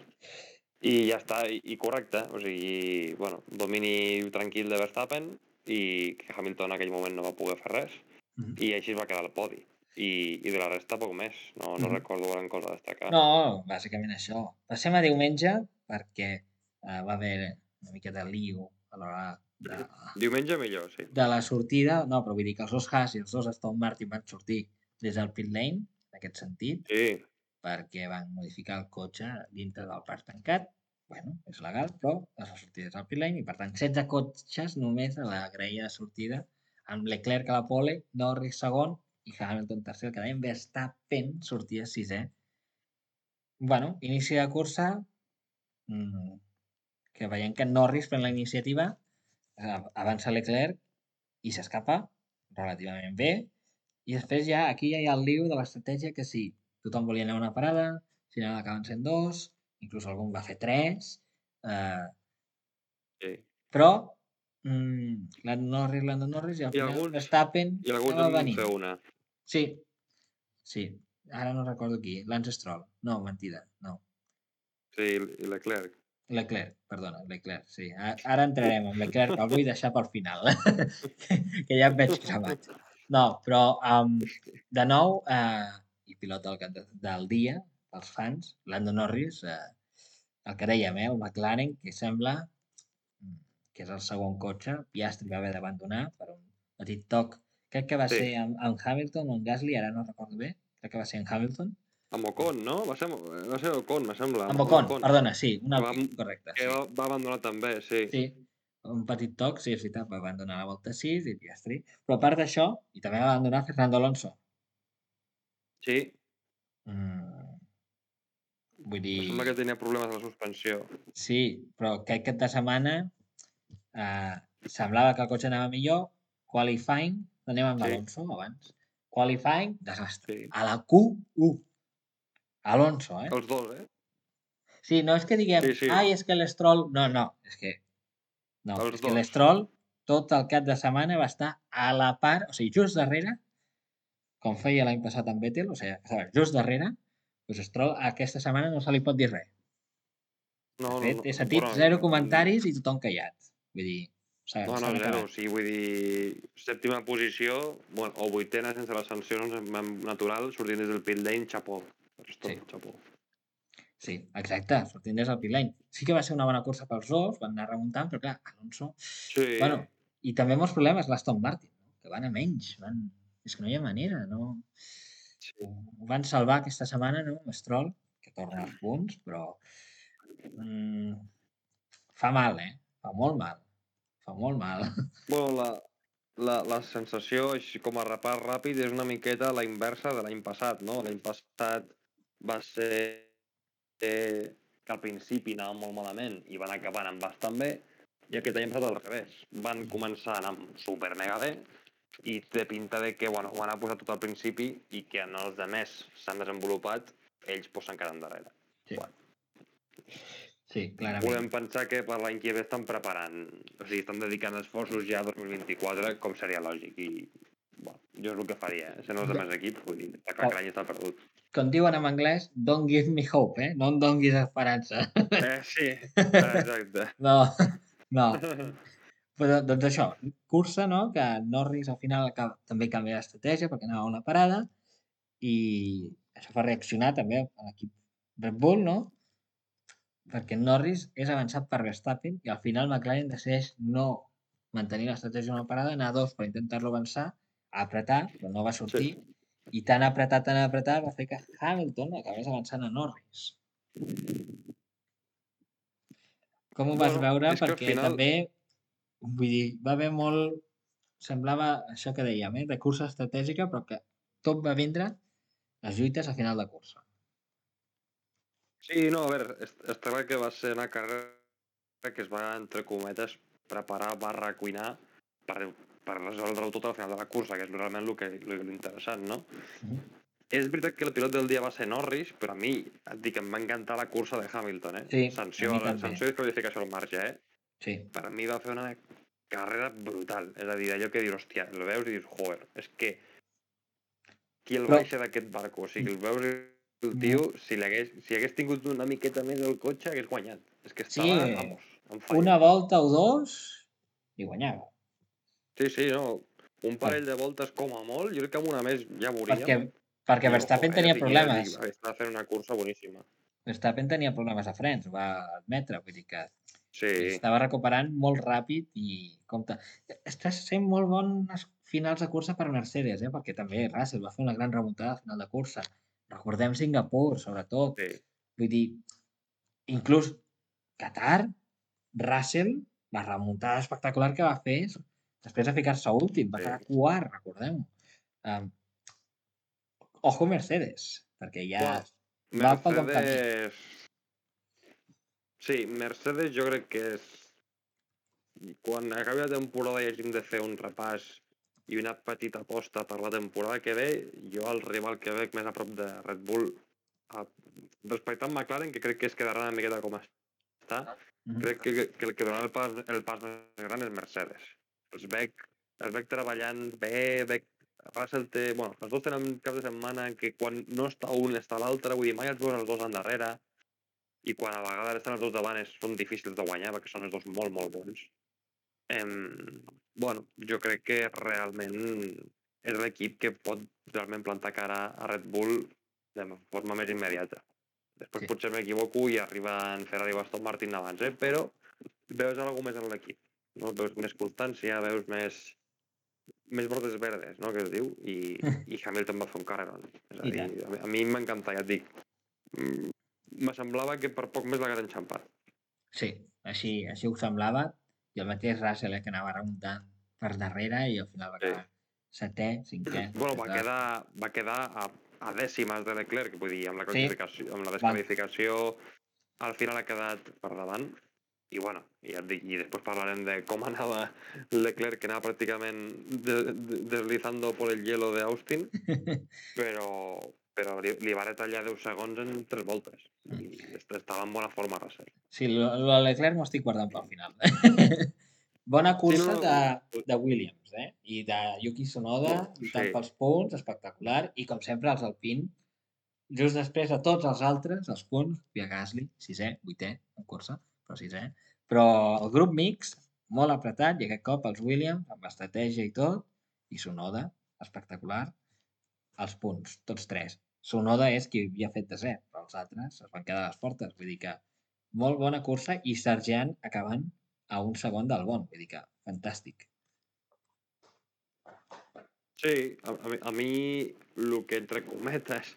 I ja està, i, i correcte, o sigui, bueno, domini tranquil de Verstappen i que Hamilton en aquell moment no va poder fer res Mm. i així es va quedar al podi. I, i de la resta poc més, no, no Mm. recordo gran cosa a destacar. No, bàsicament això. Passem a diumenge perquè eh, va haver una mica de lío a l'hora de, Diumenge millor, sí. de la sortida. No, però vull dir que els dos Haas i els dos Aston Martin van sortir des del pit lane, en aquest sentit, Sí, perquè van modificar el cotxe dintre del parc tancat. Bueno, és legal, però les sortides al pit lane i, per tant, setze cotxes només a la graella de sortida, amb Leclerc a la pole, Norris segon i Hamilton tercer, el que dèiem Verstappen sortia sisè. Bueno, inici de cursa, mmm, que veiem que Norris pren la iniciativa, avança Leclerc i s'escapa relativament bé. I després ja, aquí ja hi ha el lío de l'estratègia que sí, tothom volia anar a una parada, al final acaben sent dos, inclús algun va fer tres, eh, sí. però mm, Lando Norris, Lando Norris, i al I final alguns, Verstappen i alguns acaba en van venint. fer una. Sí, sí, ara no recordo qui, Lance Stroll, no, mentida, no. Sí, i Leclerc. Leclerc, perdona, Leclerc, sí. A- Ara entrarem amb Leclerc, que el vull deixar pel final, que ja em veig cremat. No, però um, de nou, eh, i pilot del, cap de- del dia, pels fans, Lando Norris, eh, el que dèiem, eh, el McLaren, que sembla mm, que és el segon cotxe, Piastri va haver d'abandonar per un petit toc, crec que va Sí, ser amb, amb Hamilton o amb Gasly, ara no recordo bé, crec que va ser amb Hamilton, amb Ocon, no? Va ser, va ser Ocon, me sembla, amb amb Ocon, Ocon. perdona, sí, un Que va, Alpine, correcte, que sí. va, va abandonar també, sí. Sí, un petit toc, sí, és veritat, va abandonar la volta sis i Piastri. Però a part d'això, i també va abandonar Fernando Alonso. Sí, Mm, vull me sembla que dir, tenia problemes a la suspensió. sí, però aquest cap de setmana eh, semblava que el cotxe anava millor, qualifying, anem amb Sí. Alonso abans. Qualifying, desastre. Sí. A la Q u. Alonso, eh? Els dos, eh? Sí, no és que diguem, Sí, sí. ai, és que l'Stroll... No, no, és que... No, Els és que dos. l'Stroll tot el cap de setmana va estar a la part, o sigui, just darrere, com feia l'any passat amb Vettel, o sigui, just darrere, doncs Stroll aquesta setmana no se li pot dir res. No, De no, fet, no. he sentit Bueno, zero mm, comentaris i tothom callat. Vull dir, s'ha no, no, s'han zero. O acabat. sigui, vull dir, sèptima posició, bueno, o vuitena sense les sancions natural, sortint des del pit lane, xapó. Sí. Xapó. Sí, exacte, sortint des del pit lane. Sí que va ser una bona cursa pels dos, van anar remuntant, però clar, Alonso... Sí. Bueno, i també molts problemes l'Aston Martin, no? Que van a menys, van... És que no hi ha manera, no? Sí. Ho van salvar aquesta setmana, no? Stroll, que torna als punts, però... Mm, fa mal, eh? Fa molt mal. Fa molt mal. Bueno, la, la, la sensació, així com a repàs ràpid, és una miqueta la inversa de l'any passat, no? L'any passat va ser eh, que al principi anaven molt malament i van acabar anant bastant bé, i aquest any ha passat al revés. Van començar a anar super mega bé i té pinta de que bueno, ho han posat tot al principi i que en els demés s'han desenvolupat, ells pues, s'han quedat endarrere. Sí. Bueno. Sí, clarament. Podem pensar que per l'any que ve estan preparant, o sigui, estan dedicant esforços ja a dos mil vint-i-quatre, com seria lògic, i bueno, jo és el que faria, eh? Sent els altres equips, vull dir, que oh. l'any està perdut. Com diuen en anglès, don't give me hope, eh? No em donguis esperança. Eh, sí, exacte. No, no. Però, doncs això, cursa, no? Que Norris al final acaba, també canvia d'estratègia perquè anava a una parada i això fa reaccionar també a l'equip Red Bull, no? Perquè Norris és avançat per Verstappen i al final McLaren decideix no mantenir l'estratègia d'una parada, anar a dos per intentar-lo avançar, a apretar, però no va sortir, sí. I tan apretat, tan apretat, va fer que Hamilton acabés avançant a Norris. Com ho vas bueno, veure? és que Perquè final... també, vull dir, va haver molt... Semblava això que dèiem, eh? De cursa estratègica, però que tot va vindre les lluites a final de cursa. Sí, no, a veure, està clar que va ser una carrera que es va, entre cometes, preparar barra cuinar per, per resoldre-ho tot al final de la cursa, que és realment el que l'interessant, no? Mm-hmm. És veritat que el pilot del dia va ser Norris, però a mi, et dic, em va encantar la cursa de Hamilton, eh? Sí, sanció, a mi també. Sanció i qualificació al marge, eh? Sí. Per a mi va fer una carrera brutal. És a dir, allò que dius, hòstia, el veus i dius, joder, és que qui el però... baixa d'aquest barco, o sigui, el veus el tio, mm. si, hagués, si hagués tingut una miqueta més del cotxe, hagués guanyat. És que estava, sí, vamos, en falla. Una volta o dos i guanyava. Sí, sí, no. Un parell de voltes com a molt, jo crec que amb una més ja veuríem. Perquè, perquè Verstappen tenia dic, problemes. Dic, estava fent una cursa boníssima. Verstappen tenia problemes de frens, ho va admetre, vull dir que sí. Estava recuperant molt ràpid i compte. Està sent molt bons finals de cursa per Mercedes, eh? Perquè també Russell va fer una gran remuntada al final de cursa. Recordem Singapur, sobretot. Sí. Vull dir, inclús Qatar, Russell, la remuntada espectacular que va fer després de ficar-se últim, va sí. quedar quart, recordem-ho. Um, ojo Mercedes, perquè ja bueno, va pel bon camí. Sí, Mercedes jo crec que és... Quan acabi la temporada i hàgim de fer un repàs i una petita aposta per la temporada que ve, jo el rival que veig més a prop de Red Bull, respecte a McLaren, que crec que es quedarà una miqueta com està, mm-hmm. crec que, que el que donarà el pas, el pas més gran és Mercedes. Els veig, els veig treballant bé, veig Russell té... Bueno, els dos tenen cap de setmana que quan no està un està l'altre, vull dir, mai els veus els dos endarrere, i quan a vegades estan els dos davant són difícils de guanyar perquè són els dos molt, molt bons. Em, bueno, jo crec que realment és l'equip que pot realment plantar cara a Red Bull de forma més immediata. Després sí. Potser m'equivoco i arriben Ferrari o Aston Martin abans, eh? Però veus alguna més en l'equip. No? Veus més constància, veus més més bordes verdes, no? Que es diu, i, i Hamilton va fer un carrerón. És a dir, a, a mi m'encanta, ja et dic. Me semblava que per poc més l'hagués enxampat. Sí, així, així ho semblava. I el mateix Russell, eh, que anava remuntant per darrere i al final va quedar sí. setè, cinquè. Bueno, va quedar, va quedar a, a dècimes de Leclerc, vull dir, amb la, sí. amb la desqualificació, al final ha quedat per davant. i bueno, i ja et dic, i després parlarem de com anava Leclerc, que anava pràcticament de, de, deslizando por el hielo de Austin, però, però li, li va retallar deu segons en tres voltes. I estava en bona forma Russell. Sí, lo, lo de Leclerc m'ho estic guardant pel final. Bona cursa Sí, no, de, no. de Williams, eh? I de Yuki Tsunoda, lluitant Sí. pels punts, espectacular. I com sempre, els Alpine, just després de tots els altres, els punts, Pia Gasly, sisè, vuitè, en cursa, però sisè. Però el grup mix, molt apretat, i aquest cop els Williams, amb estratègia i tot, i Tsunoda, espectacular, els punts, tots tres. Tsunoda és qui havia fet desè, però els altres es van quedar a les portes. Vull dir que molt bona cursa i Sargent acabant a un segon del Bon. Vull dir que fantàstic. Sí, a, a, mi, a mi el que entre cometes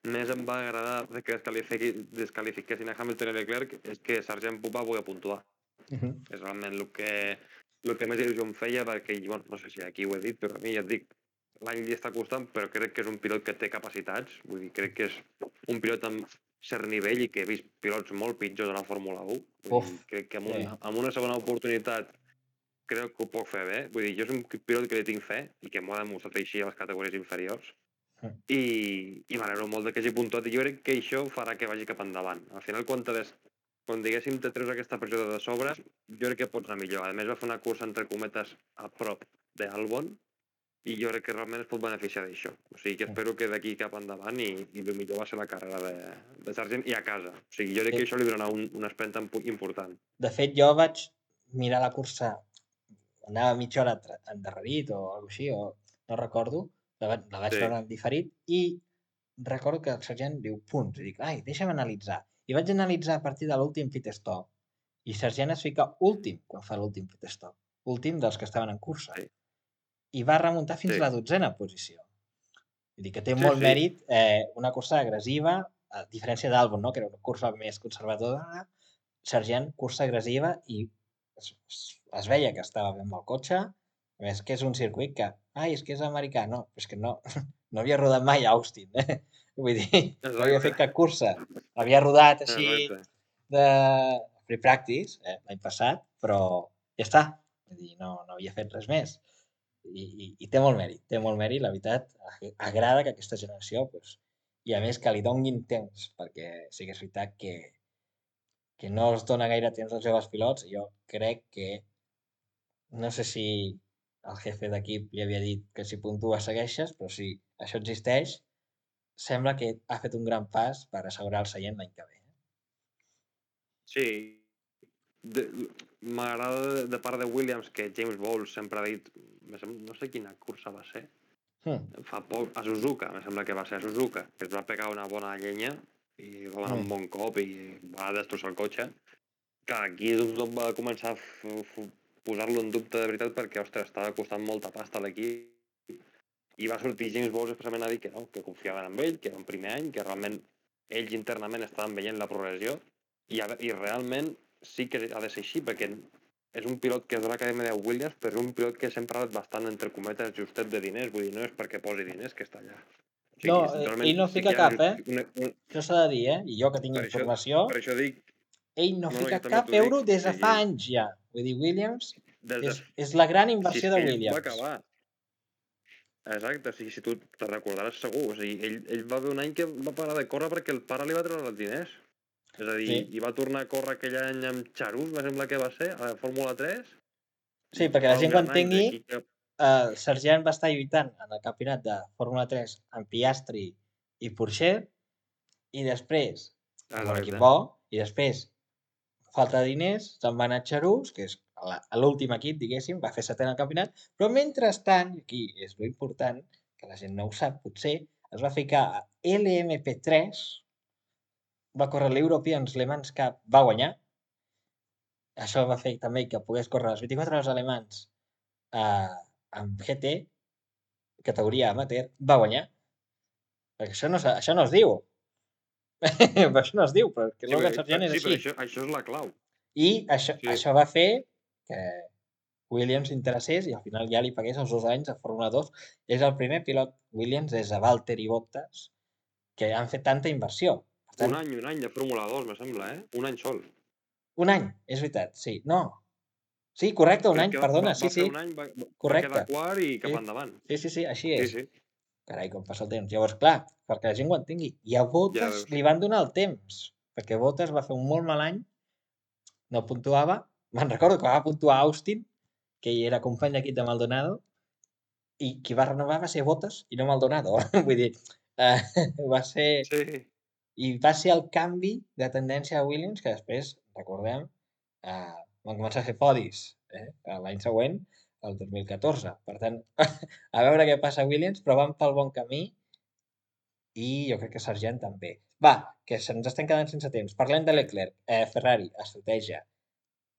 més em va agradar de que descalifiqui, descalifiquessin a Hamilton i Leclerc és que Sargent va poder puntuar. Uh -huh. És realment el que, el que més il·lusió em feia, perquè, bueno, no sé si aquí ho he dit, però a mi ja et dic, l'any li està costant, però crec que és un pilot que té capacitats. Vull dir, crec que és un pilot amb cert nivell i que he vist pilots molt pitjors a la Fórmula un. Vull Uf, dir, crec que amb, un, sí. amb una segona oportunitat crec que ho puc fer bé. Vull dir, jo és un pilot que li tinc fe i que m'ho ha demostrat així a les categories inferiors. Mm. I, i m'alegro molt de que hagi puntuat. I jo crec que això farà que vagi cap endavant. Al final, quan, des, quan diguéssim te treus aquesta pressió de sobres, jo crec que pots anar millor. A més, va fer una cursa, entre cometes, a prop d'Albon, i jo crec que realment es pot beneficiar d'això. O sigui, que espero que d'aquí cap endavant i, i el millor va ser la carrera de, de Sargent i a casa. O sigui, jo crec sí. que això li donarà un, un esprenta important. De fet, jo vaig mirar la cursa, anava mitja hora endarrerit o alguna així, o no recordo, la vaig, la vaig sí. veure en diferit, i recordo que el Sargent diu punts, i dic, ai, deixa'm analitzar. I vaig analitzar a partir de l'últim pit stop, i Sargent es fica últim quan fa l'últim pit stop, últim dels que estaven en cursa. Sí. I va remuntar fins sí. a la dotzena posició. Vull dir que té sí, molt sí. mèrit, eh, una cursa agressiva, a diferència d'Albon, no? Que era una cursa més conservadora, Sargent, cursa agressiva, i es, es veia que estava bé amb el cotxe, a més que és un circuit que, ai, és que és americà, no, és que no, no havia rodat mai a Austin, eh? Vull dir, Exacte. no havia fet cap cursa, havia rodat així Exacte. de free practice, eh, l'any passat, però ja està, vull dir, no, no havia fet res més. I, i, i té molt mèrit, té molt mèrit, la veritat, agrada que aquesta generació, pues, i a més que li donin temps, perquè sí que és veritat que, que no es dona gaire temps als joves pilots, jo crec que, no sé si el jefe d'equip li havia dit que si puntua segueixes, però si això existeix, sembla que ha fet un gran pas per assegurar el seient l'any que ve. Sí, m'agrada de part de Williams que James Bowles sempre ha dit, no sé quina cursa va ser, hmm. fa poc, a Suzuka, em sembla que va ser a Suzuka, que es va pegar una bona llenya i va donar hmm. un bon cop i va destrossar el cotxe. Que aquí tothom va començar a posar-lo en dubte de veritat perquè, ostres, estava costant molta pasta a l'equip i va sortir James Bowles especialment a dir que no, que confiaven en ell, que era un primer any, que realment ells internament estaven veient la progressió i, i realment sí que ha de ser així, perquè és un pilot que és de l'acadèmia de Williams, però és un pilot que sempre ha estat bastant, entre cometes, justet de diners, vull dir, no és perquè posi diners que està allà. O sigui, no, ell no fica sí cap, eh? Una, una... Això s'ha de dir, eh? I jo que tinc per informació... Això, per això dic... Ell no, no fica no, cap euro dic, des de sí. fa anys ja. Vull dir, Williams de... és, és la gran inversió si de Williams. Va acabar. Exacte, o sigui, si tu te recordaràs segur. O sigui, ell, ell va haver un any que va parar de córrer perquè el pare li va treure els diners. És a dir, sí. i va tornar a córrer aquell any amb Charus, me sembla que va ser, a la Fórmula tres. Sí, perquè la gent quan tingui, que... uh, Sargent va estar lluitant en el campionat de Fórmula tres amb Piastri i Pourchaire, i després, amb un equip bo, i després, falta de diners, se'n va anar a Charus, que és l'últim equip, diguéssim, va fer setè en el campionat, però mentrestant, i aquí és l'important, que la gent no ho sap, potser, es va ficar a L M P tres, va córrer l'European Le Mans Cup, va guanyar. Això va fer també que pogués córrer les vint-i-quatre hores alemans eh, amb G T, categoria amateur, va guanyar. Perquè això no, això no es diu. això no es diu, però que Logan Sargent és sí, així. Però això, això és la clau. I això, sí. això va fer que Williams interessés i al final ja li pagués els dos anys a Fórmula dos. És el primer pilot Williams des de Valtteri Bottas que han fet tanta inversió. Per tant, un any, un any de Fórmula dos, me sembla, eh? Un any sol. Un any, és veritat, sí. No. Sí, correcte, un Crec any, que va, perdona, va, sí, va fer sí, un any, va, va correcte. quedar quart i cap Sí, endavant. sí, sí, sí, així Sí, és. sí, Carai, com passa el temps. Llavors, clar, perquè la gent ho entengui. I a ja Bottas veus. li van donar el temps, perquè Bottas va fer un molt mal any, no puntuava. Me'n recordo que va puntuar Austin, que hi era company d'equip de Maldonado, i qui va renovar va ser Bottas i no Maldonado. Vull dir, eh, va ser... Sí, I va ser el canvi de tendència a Williams, que després, recordem, eh, van començar a fer podis eh, l'any següent, el dos mil catorze. Per tant, a veure què passa a Williams, però van pel bon camí i jo crec que Sargent també. Va, que se'ns estem quedant sense temps. Parlem de Leclerc, eh, Ferrari, estratègia.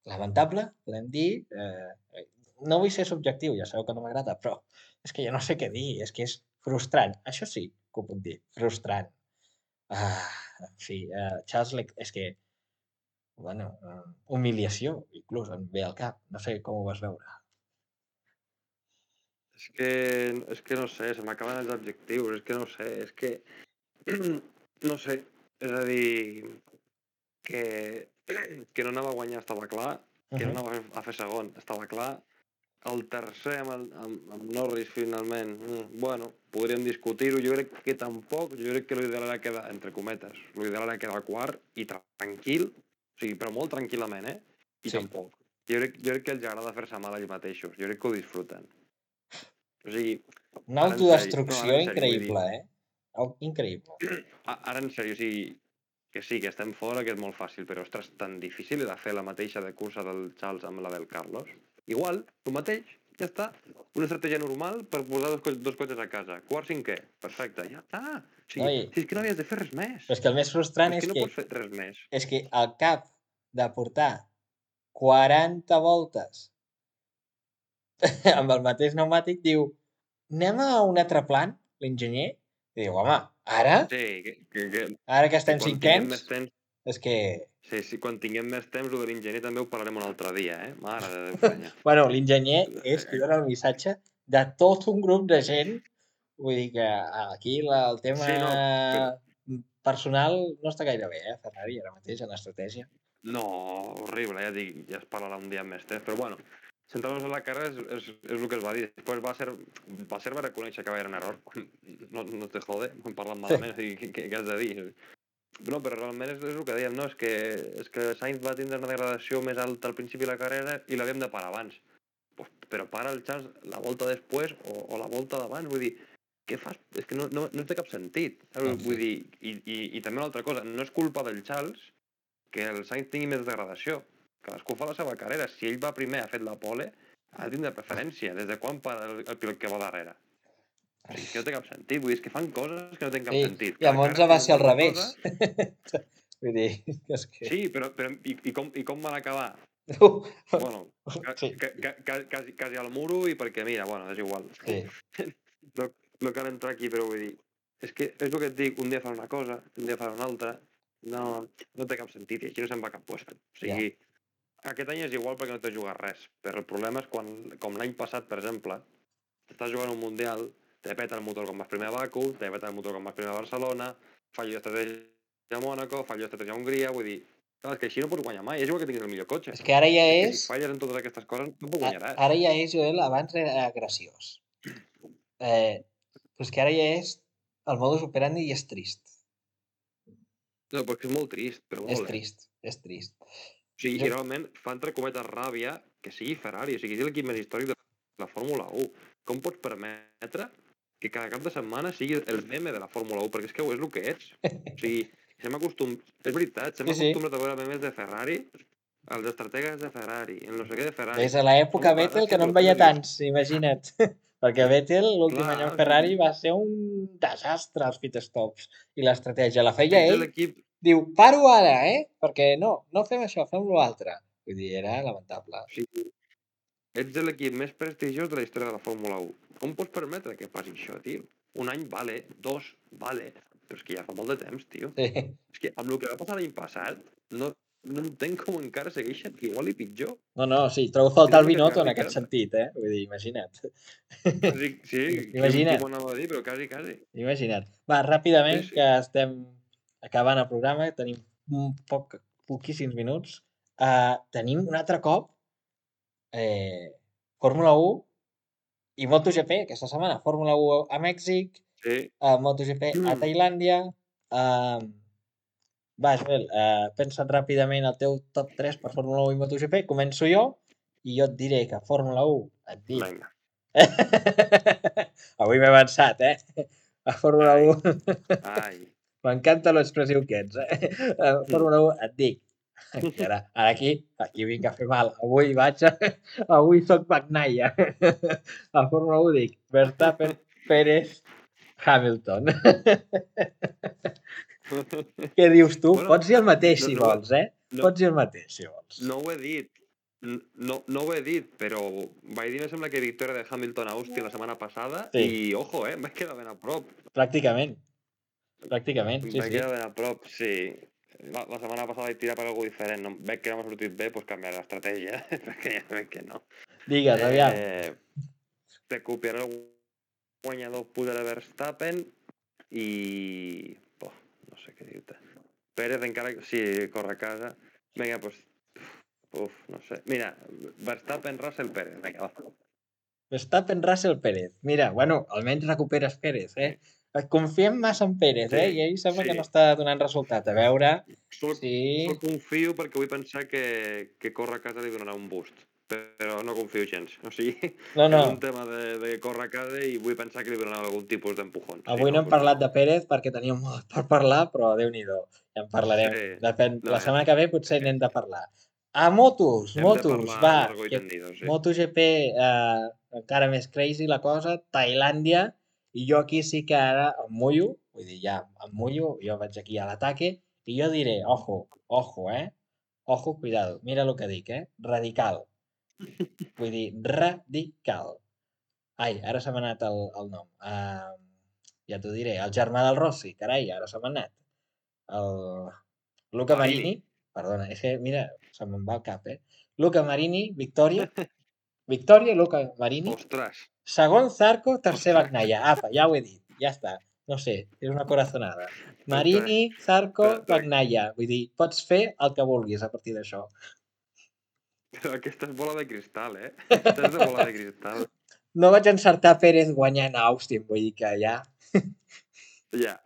Lamentable, podem dir. Eh, no vull ser subjectiu, ja sabeu que no m'agrada, però és que ja no sé què dir, és que és frustrant. Això sí que ho puc dir, frustrant. Ah, en fi, eh, Charles Leclerc, és que, bueno, eh, humiliació, inclús, em ve al cap. No sé com ho vas veure. és que, és que no sé, se m'acaben els adjectius, és que no sé, és que, no sé, és a dir, que, que no anava a guanyar estava clar, que no Uh -huh. anava a fer segon estava clar, el tercer amb, el, amb, amb Norris finalment, mm, bueno, podríem discutir-ho, jo crec que tampoc, jo crec que l'ideal era quedar, entre cometes, l'ideal era quedar quart i tranquil, o sigui, però molt tranquil·lament, eh? I Sí, tampoc. Jo crec, jo crec que els agrada fer-se mal a ells mateixos, jo crec que ho disfruten. O sigui, una ara en sèrio, no, ara autodestrucció en sèrio, vull dir, increïble, eh? Au- Increïble. a- ara en sèrio, o sigui, que sí, que estem fora, que és molt fàcil, però, ostres, tan difícil era fer la mateixa de cursa del Charles amb la del Carlos. Igual, tu mateix, ja està. Una estratègia normal per posar dos, co- dos cotxes a casa. Quart, cinquè, perfecte, ja està. O sigui, No, i, si és que no havies de fer res més. però és que el més frustrant És és que no que, pots fer res més. és que al cap de portar quaranta voltes amb el mateix pneumàtic diu anem a un altre plan, l'enginyer, i diu, home, ara, Sí, que, que, que, ara que que estem quan tinguem cinquens, més temps, és que... sí, sí, quan tinguem més temps, el de l'enginyer també ho parlarem un altre dia, eh? Mare de Déu, penya. Bueno, l'enginyer és qui dona el missatge de tot un grup de gent. Vull dir que aquí la, el tema Sí, no, però, personal no està gaire bé, eh, Ferrari, ara mateix, en estratègia. no, horrible, ja dic, ja es parlarà un dia amb més temps, però bueno, centrant-nos en la carrera és, és, és el que es va dir. Després va ser, va ser va reconèixer que va haver un error. No, no te jode, hem parlat malament, o sigui, què, què has de dir? No, però realment és, és el que dèiem, no? És que, és que Sainz va tindre una degradació més alta al principi de la carrera i l'havíem de parar abans. Pues, però para el Charles la volta després o, o la volta d'abans, vull dir, què fas? És que no, no, no té cap sentit. Doncs Vull sí. dir, i, i, i també una altra cosa, no és culpa del Charles que el Sainz tingui més degradació. Cadascú fa la seva carrera. Si ell va primer, ha fet la pole, ha de tindre preferència. Des de quan para el, el pilot que va darrere? O sigui, que no té cap sentit. Vull dir, és que fan coses que no tenen cap Sí, sentit. i a Cada Monza carrera va ser al s'inventen una revés. cosa. Vull dir, és que... Sí, però, però i, i, com, i com van acabar? Bueno, ca, Sí, ca, ca, ca, quasi, quasi al muro i perquè, mira, bueno, és igual. sí. No, no cal entrar aquí, però vull dir, és que és el que et dic, un dia fan una cosa, un dia fan una altra, no, no té cap sentit i aquí no se'n va cap puesto. O Ja. sigui, aquest any és igual perquè no t'has jugat res, però el problema és quan, com l'any passat, per exemple, estàs jugant un Mundial, te peta el motor com vas primer a Baku, te peta el motor com vas primer a Barcelona, fallo d'estratègia a Mònaco, fallo d'estratègia a Hongria, vull dir, clar, és que així no pots guanyar mai, és igual que tinguis el millor cotxe. És que ara ja És que és... si falles en totes aquestes coses no ho a- guanyaràs. Ara ja és, Joel, abans era graciós. Eh, però és que ara ja és... El modus operandi i és trist. No, perquè és molt trist, però És molt, eh? trist, és trist. O sigui, Jo... i realment fa entre cometes ràbia que sigui Ferrari, o sigui, és l'equip més històric de la Fórmula u. Com pots permetre que cada cap de setmana sigui el meme de la Fórmula u? Perquè és que és el que ets. O sigui, s'hem acostum... és veritat, s'hem Sí, sí. acostumbrat a veure memes de Ferrari, els estrategues de Ferrari, el no sé què de Ferrari. Des de l'època Home, Vettel, ara que sí no que en el veia penses i dius, tants, imagina't. Perquè Vettel, l'últim any clar, amb o sigui, Ferrari, va ser un desastre als pitstops. I l'estratègia la feia ets ell. l'equip Diu, paro ara, eh? Perquè no, no fem això, fem l'altre. Vull dir, era lamentable. o sigui, ets l'equip més prestigiós de la història de la Fórmula u. Com pots permetre que passi això, tio? Un any vale, dos vale, però és que ja fa molt de temps, tio. Sí. És que amb el que va passar l'any passat, no, no entenc com encara segueixen igual i pitjor. No, no, sí, trobo a És faltar el el que Binotto t'acaba en de aquest dir. sentit, eh? Vull dir, imagina't. Quasi, sí, qui, qui Imagina't, m'ho anava a dir, però quasi, quasi. imagina't. Va, Sí, ràpidament, sí. que estem acabant el programa, tenim un poc, poquíssims minuts. Uh, tenim un altre cop eh, Fórmula u i MotoGP aquesta setmana. Fórmula u a Mèxic, Sí. uh, MotoGP a Tailàndia. Uh, va, Joel, uh, pensa't ràpidament el teu top tres per Fórmula u i MotoGP. Començo jo i jo et diré que Fórmula u et dic. Vinga. Avui m'he avançat, eh? A Fórmula Ai. u. Ai. M'encanta l'expressiu que ets, eh? A Fórmula u et dic. I ara, ara aquí, aquí vinc a fer mal. Avui vaig a... Avui soc Bagnaia. A Fórmula u dic Verstappen, Pérez, Hamilton. Què dius tu? Bueno, Pots dir el mateix no- si no ho he- vols, eh? no- Pots dir el mateix si vols. No ho he dit. N- No, no ho he dit, però vaig dir, me sembla que victòria de Hamilton a Austin la setmana passada Sí. i, ojo, eh, em vaig quedar ben a prop. Pràcticament. Pràcticament, Em sí, vaig sí. quedar ben a prop, sí. La, la setmana passada vaig tirar per alguna diferent. No, veig que no m'ha sortit bé, doncs canviar l'estratègia, perquè ja veig que no. Digues, aviam. Eh, recuperar el guanyador Pudera Verstappen i... Oh, no sé què dir-te. Pérez encara... Sí, corre a casa. Vinga, doncs... Uf, no sé. Mira, Verstappen, Russell, Pérez. Vinga, va. Verstappen, Russell, Pérez. Mira, bueno, almenys recuperes Pérez, eh? Confiem massa en Pérez, eh? Sí, I ell sembla sí. que no està donant resultat. A veure... Sol, Sí. sol confio perquè vull pensar que, que córrer a casa li donarà un boost. Però no confio gens. O sigui, No, no. és un tema de, de córrer a casa i vull pensar que li donarà algun tipus d'empujón. Avui sí, no hem doncs parlat de Pérez perquè teníem molt per parlar, però Déu-n'hi-do. Ja en parlarem. Sí. Depèn. No, La setmana que ve potser sí. n'hem de parlar. A motos, Hem de motos, parlar va. largo i Que tendido, sí. MotoGP, eh, encara més crazy la cosa, Tailàndia, i jo aquí sí que ara em mullo, vull dir, ja em mullo, jo vaig aquí a l'ataque, i jo diré, ojo, ojo, eh? Ojo, cuidado, mira el que dic, eh? Radical. Vull dir, radical. Ai, ara se m'ha anat el, el nom. Uh, ja t'ho diré. El germà del Rossi, carai, ara se m'ha anat. El Luca Marini. Marini. Perdona, és que, mira, se me'n va el cap, eh? Luca Marini, victòria. Victòria, Luca Marini. Ostres. Segon Zarco, tercer Ostres. Bagnaia. Apa, ja ho he dit. Ja està. No sé, és una corazonada. Marini, Zarco, Però, però, Bagnaia. Vull dir, pots fer el que vulguis a partir d'això. però aquesta és bola de cristal, eh? Aquesta és de bola de cristal. No vaig encertar Pérez guanyant a Austin, vull dir que ja... Ja.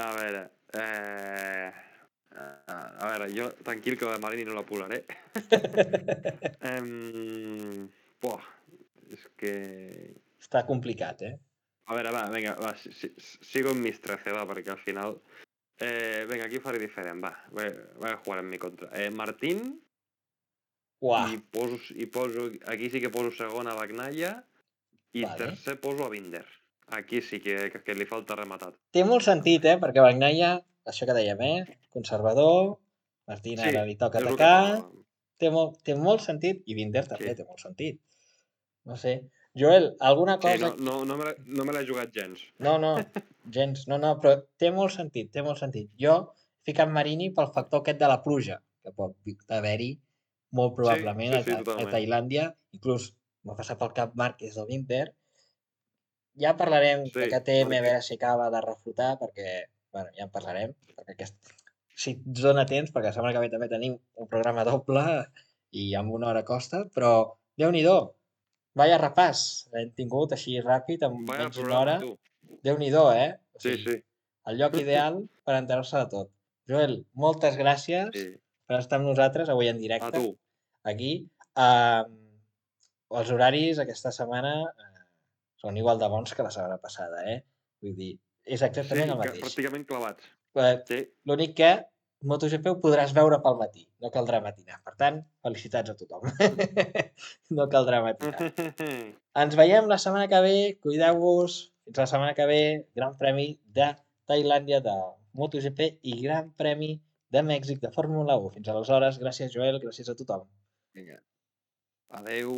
A veure... Eh... A veure, jo tranquil que la de Marini no la posaré. um, Buah, és que... Està complicat, eh? A veure, va, vinga, va, si, si, sigo en mis trece, va, perquè al final... Eh, vinga, aquí ho faré diferent, va. Vaig a jugar en mi contra. Eh, Martín, Uah, i poso, i poso... Aquí sí que poso segon a Bagnaia i vale. tercer poso a Binder. Aquí sí que, que, que li falta rematat. Té molt sentit, eh? Perquè Bagnaia, això que dèiem, eh? Conservador, Martín ara li toca és el que atacar, toca. té molt, té molt sentit, i Binder també Sí. té molt sentit. No sé. Joel, alguna Sí, cosa... no, no, no me l'he no me l'he jugat gens. No, no, gens, no, no, però té molt sentit, té molt sentit. Jo he ficat Marini pel factor aquest de la pluja, que pot haver-hi molt probablement sí, sí, a, a totalment. Tailàndia, inclús m'ha passat pel cap Márquez del Binder. Ja parlarem Sí, de K T M, a Márquez. veure si acaba de reflotar, perquè, bueno, ja en parlarem, perquè aquest... si ets dona temps, perquè la setmana que ve també tenim un programa doble i amb una hora costa, però Déu-n'hi-do, vaya repàs, l'hem tingut així ràpid, en Vaya menys d'una hora. programa, tu. Déu-n'hi-do, eh? O Sí, sigui, sí. el lloc ideal per enterar-se de tot. Joel, moltes gràcies Sí. per estar amb nosaltres avui en A directe, tu. aquí. Uh, els horaris aquesta setmana uh, són igual de bons que la setmana passada, eh? Vull dir, és exactament Sí, el que, mateix. pràcticament clavats. Uh, Sí. L'únic que MotoGP ho podràs veure pel matí, no caldrà matinar. Per tant, felicitats a tothom. No caldrà matinar. Ens veiem la setmana que ve, cuideu-vos, fins la setmana que ve, Gran Premi de Tailàndia de MotoGP i Gran Premi de Mèxic de Fórmula u. Fins aleshores, gràcies Joel, gràcies a tothom. Vinga. Adeu.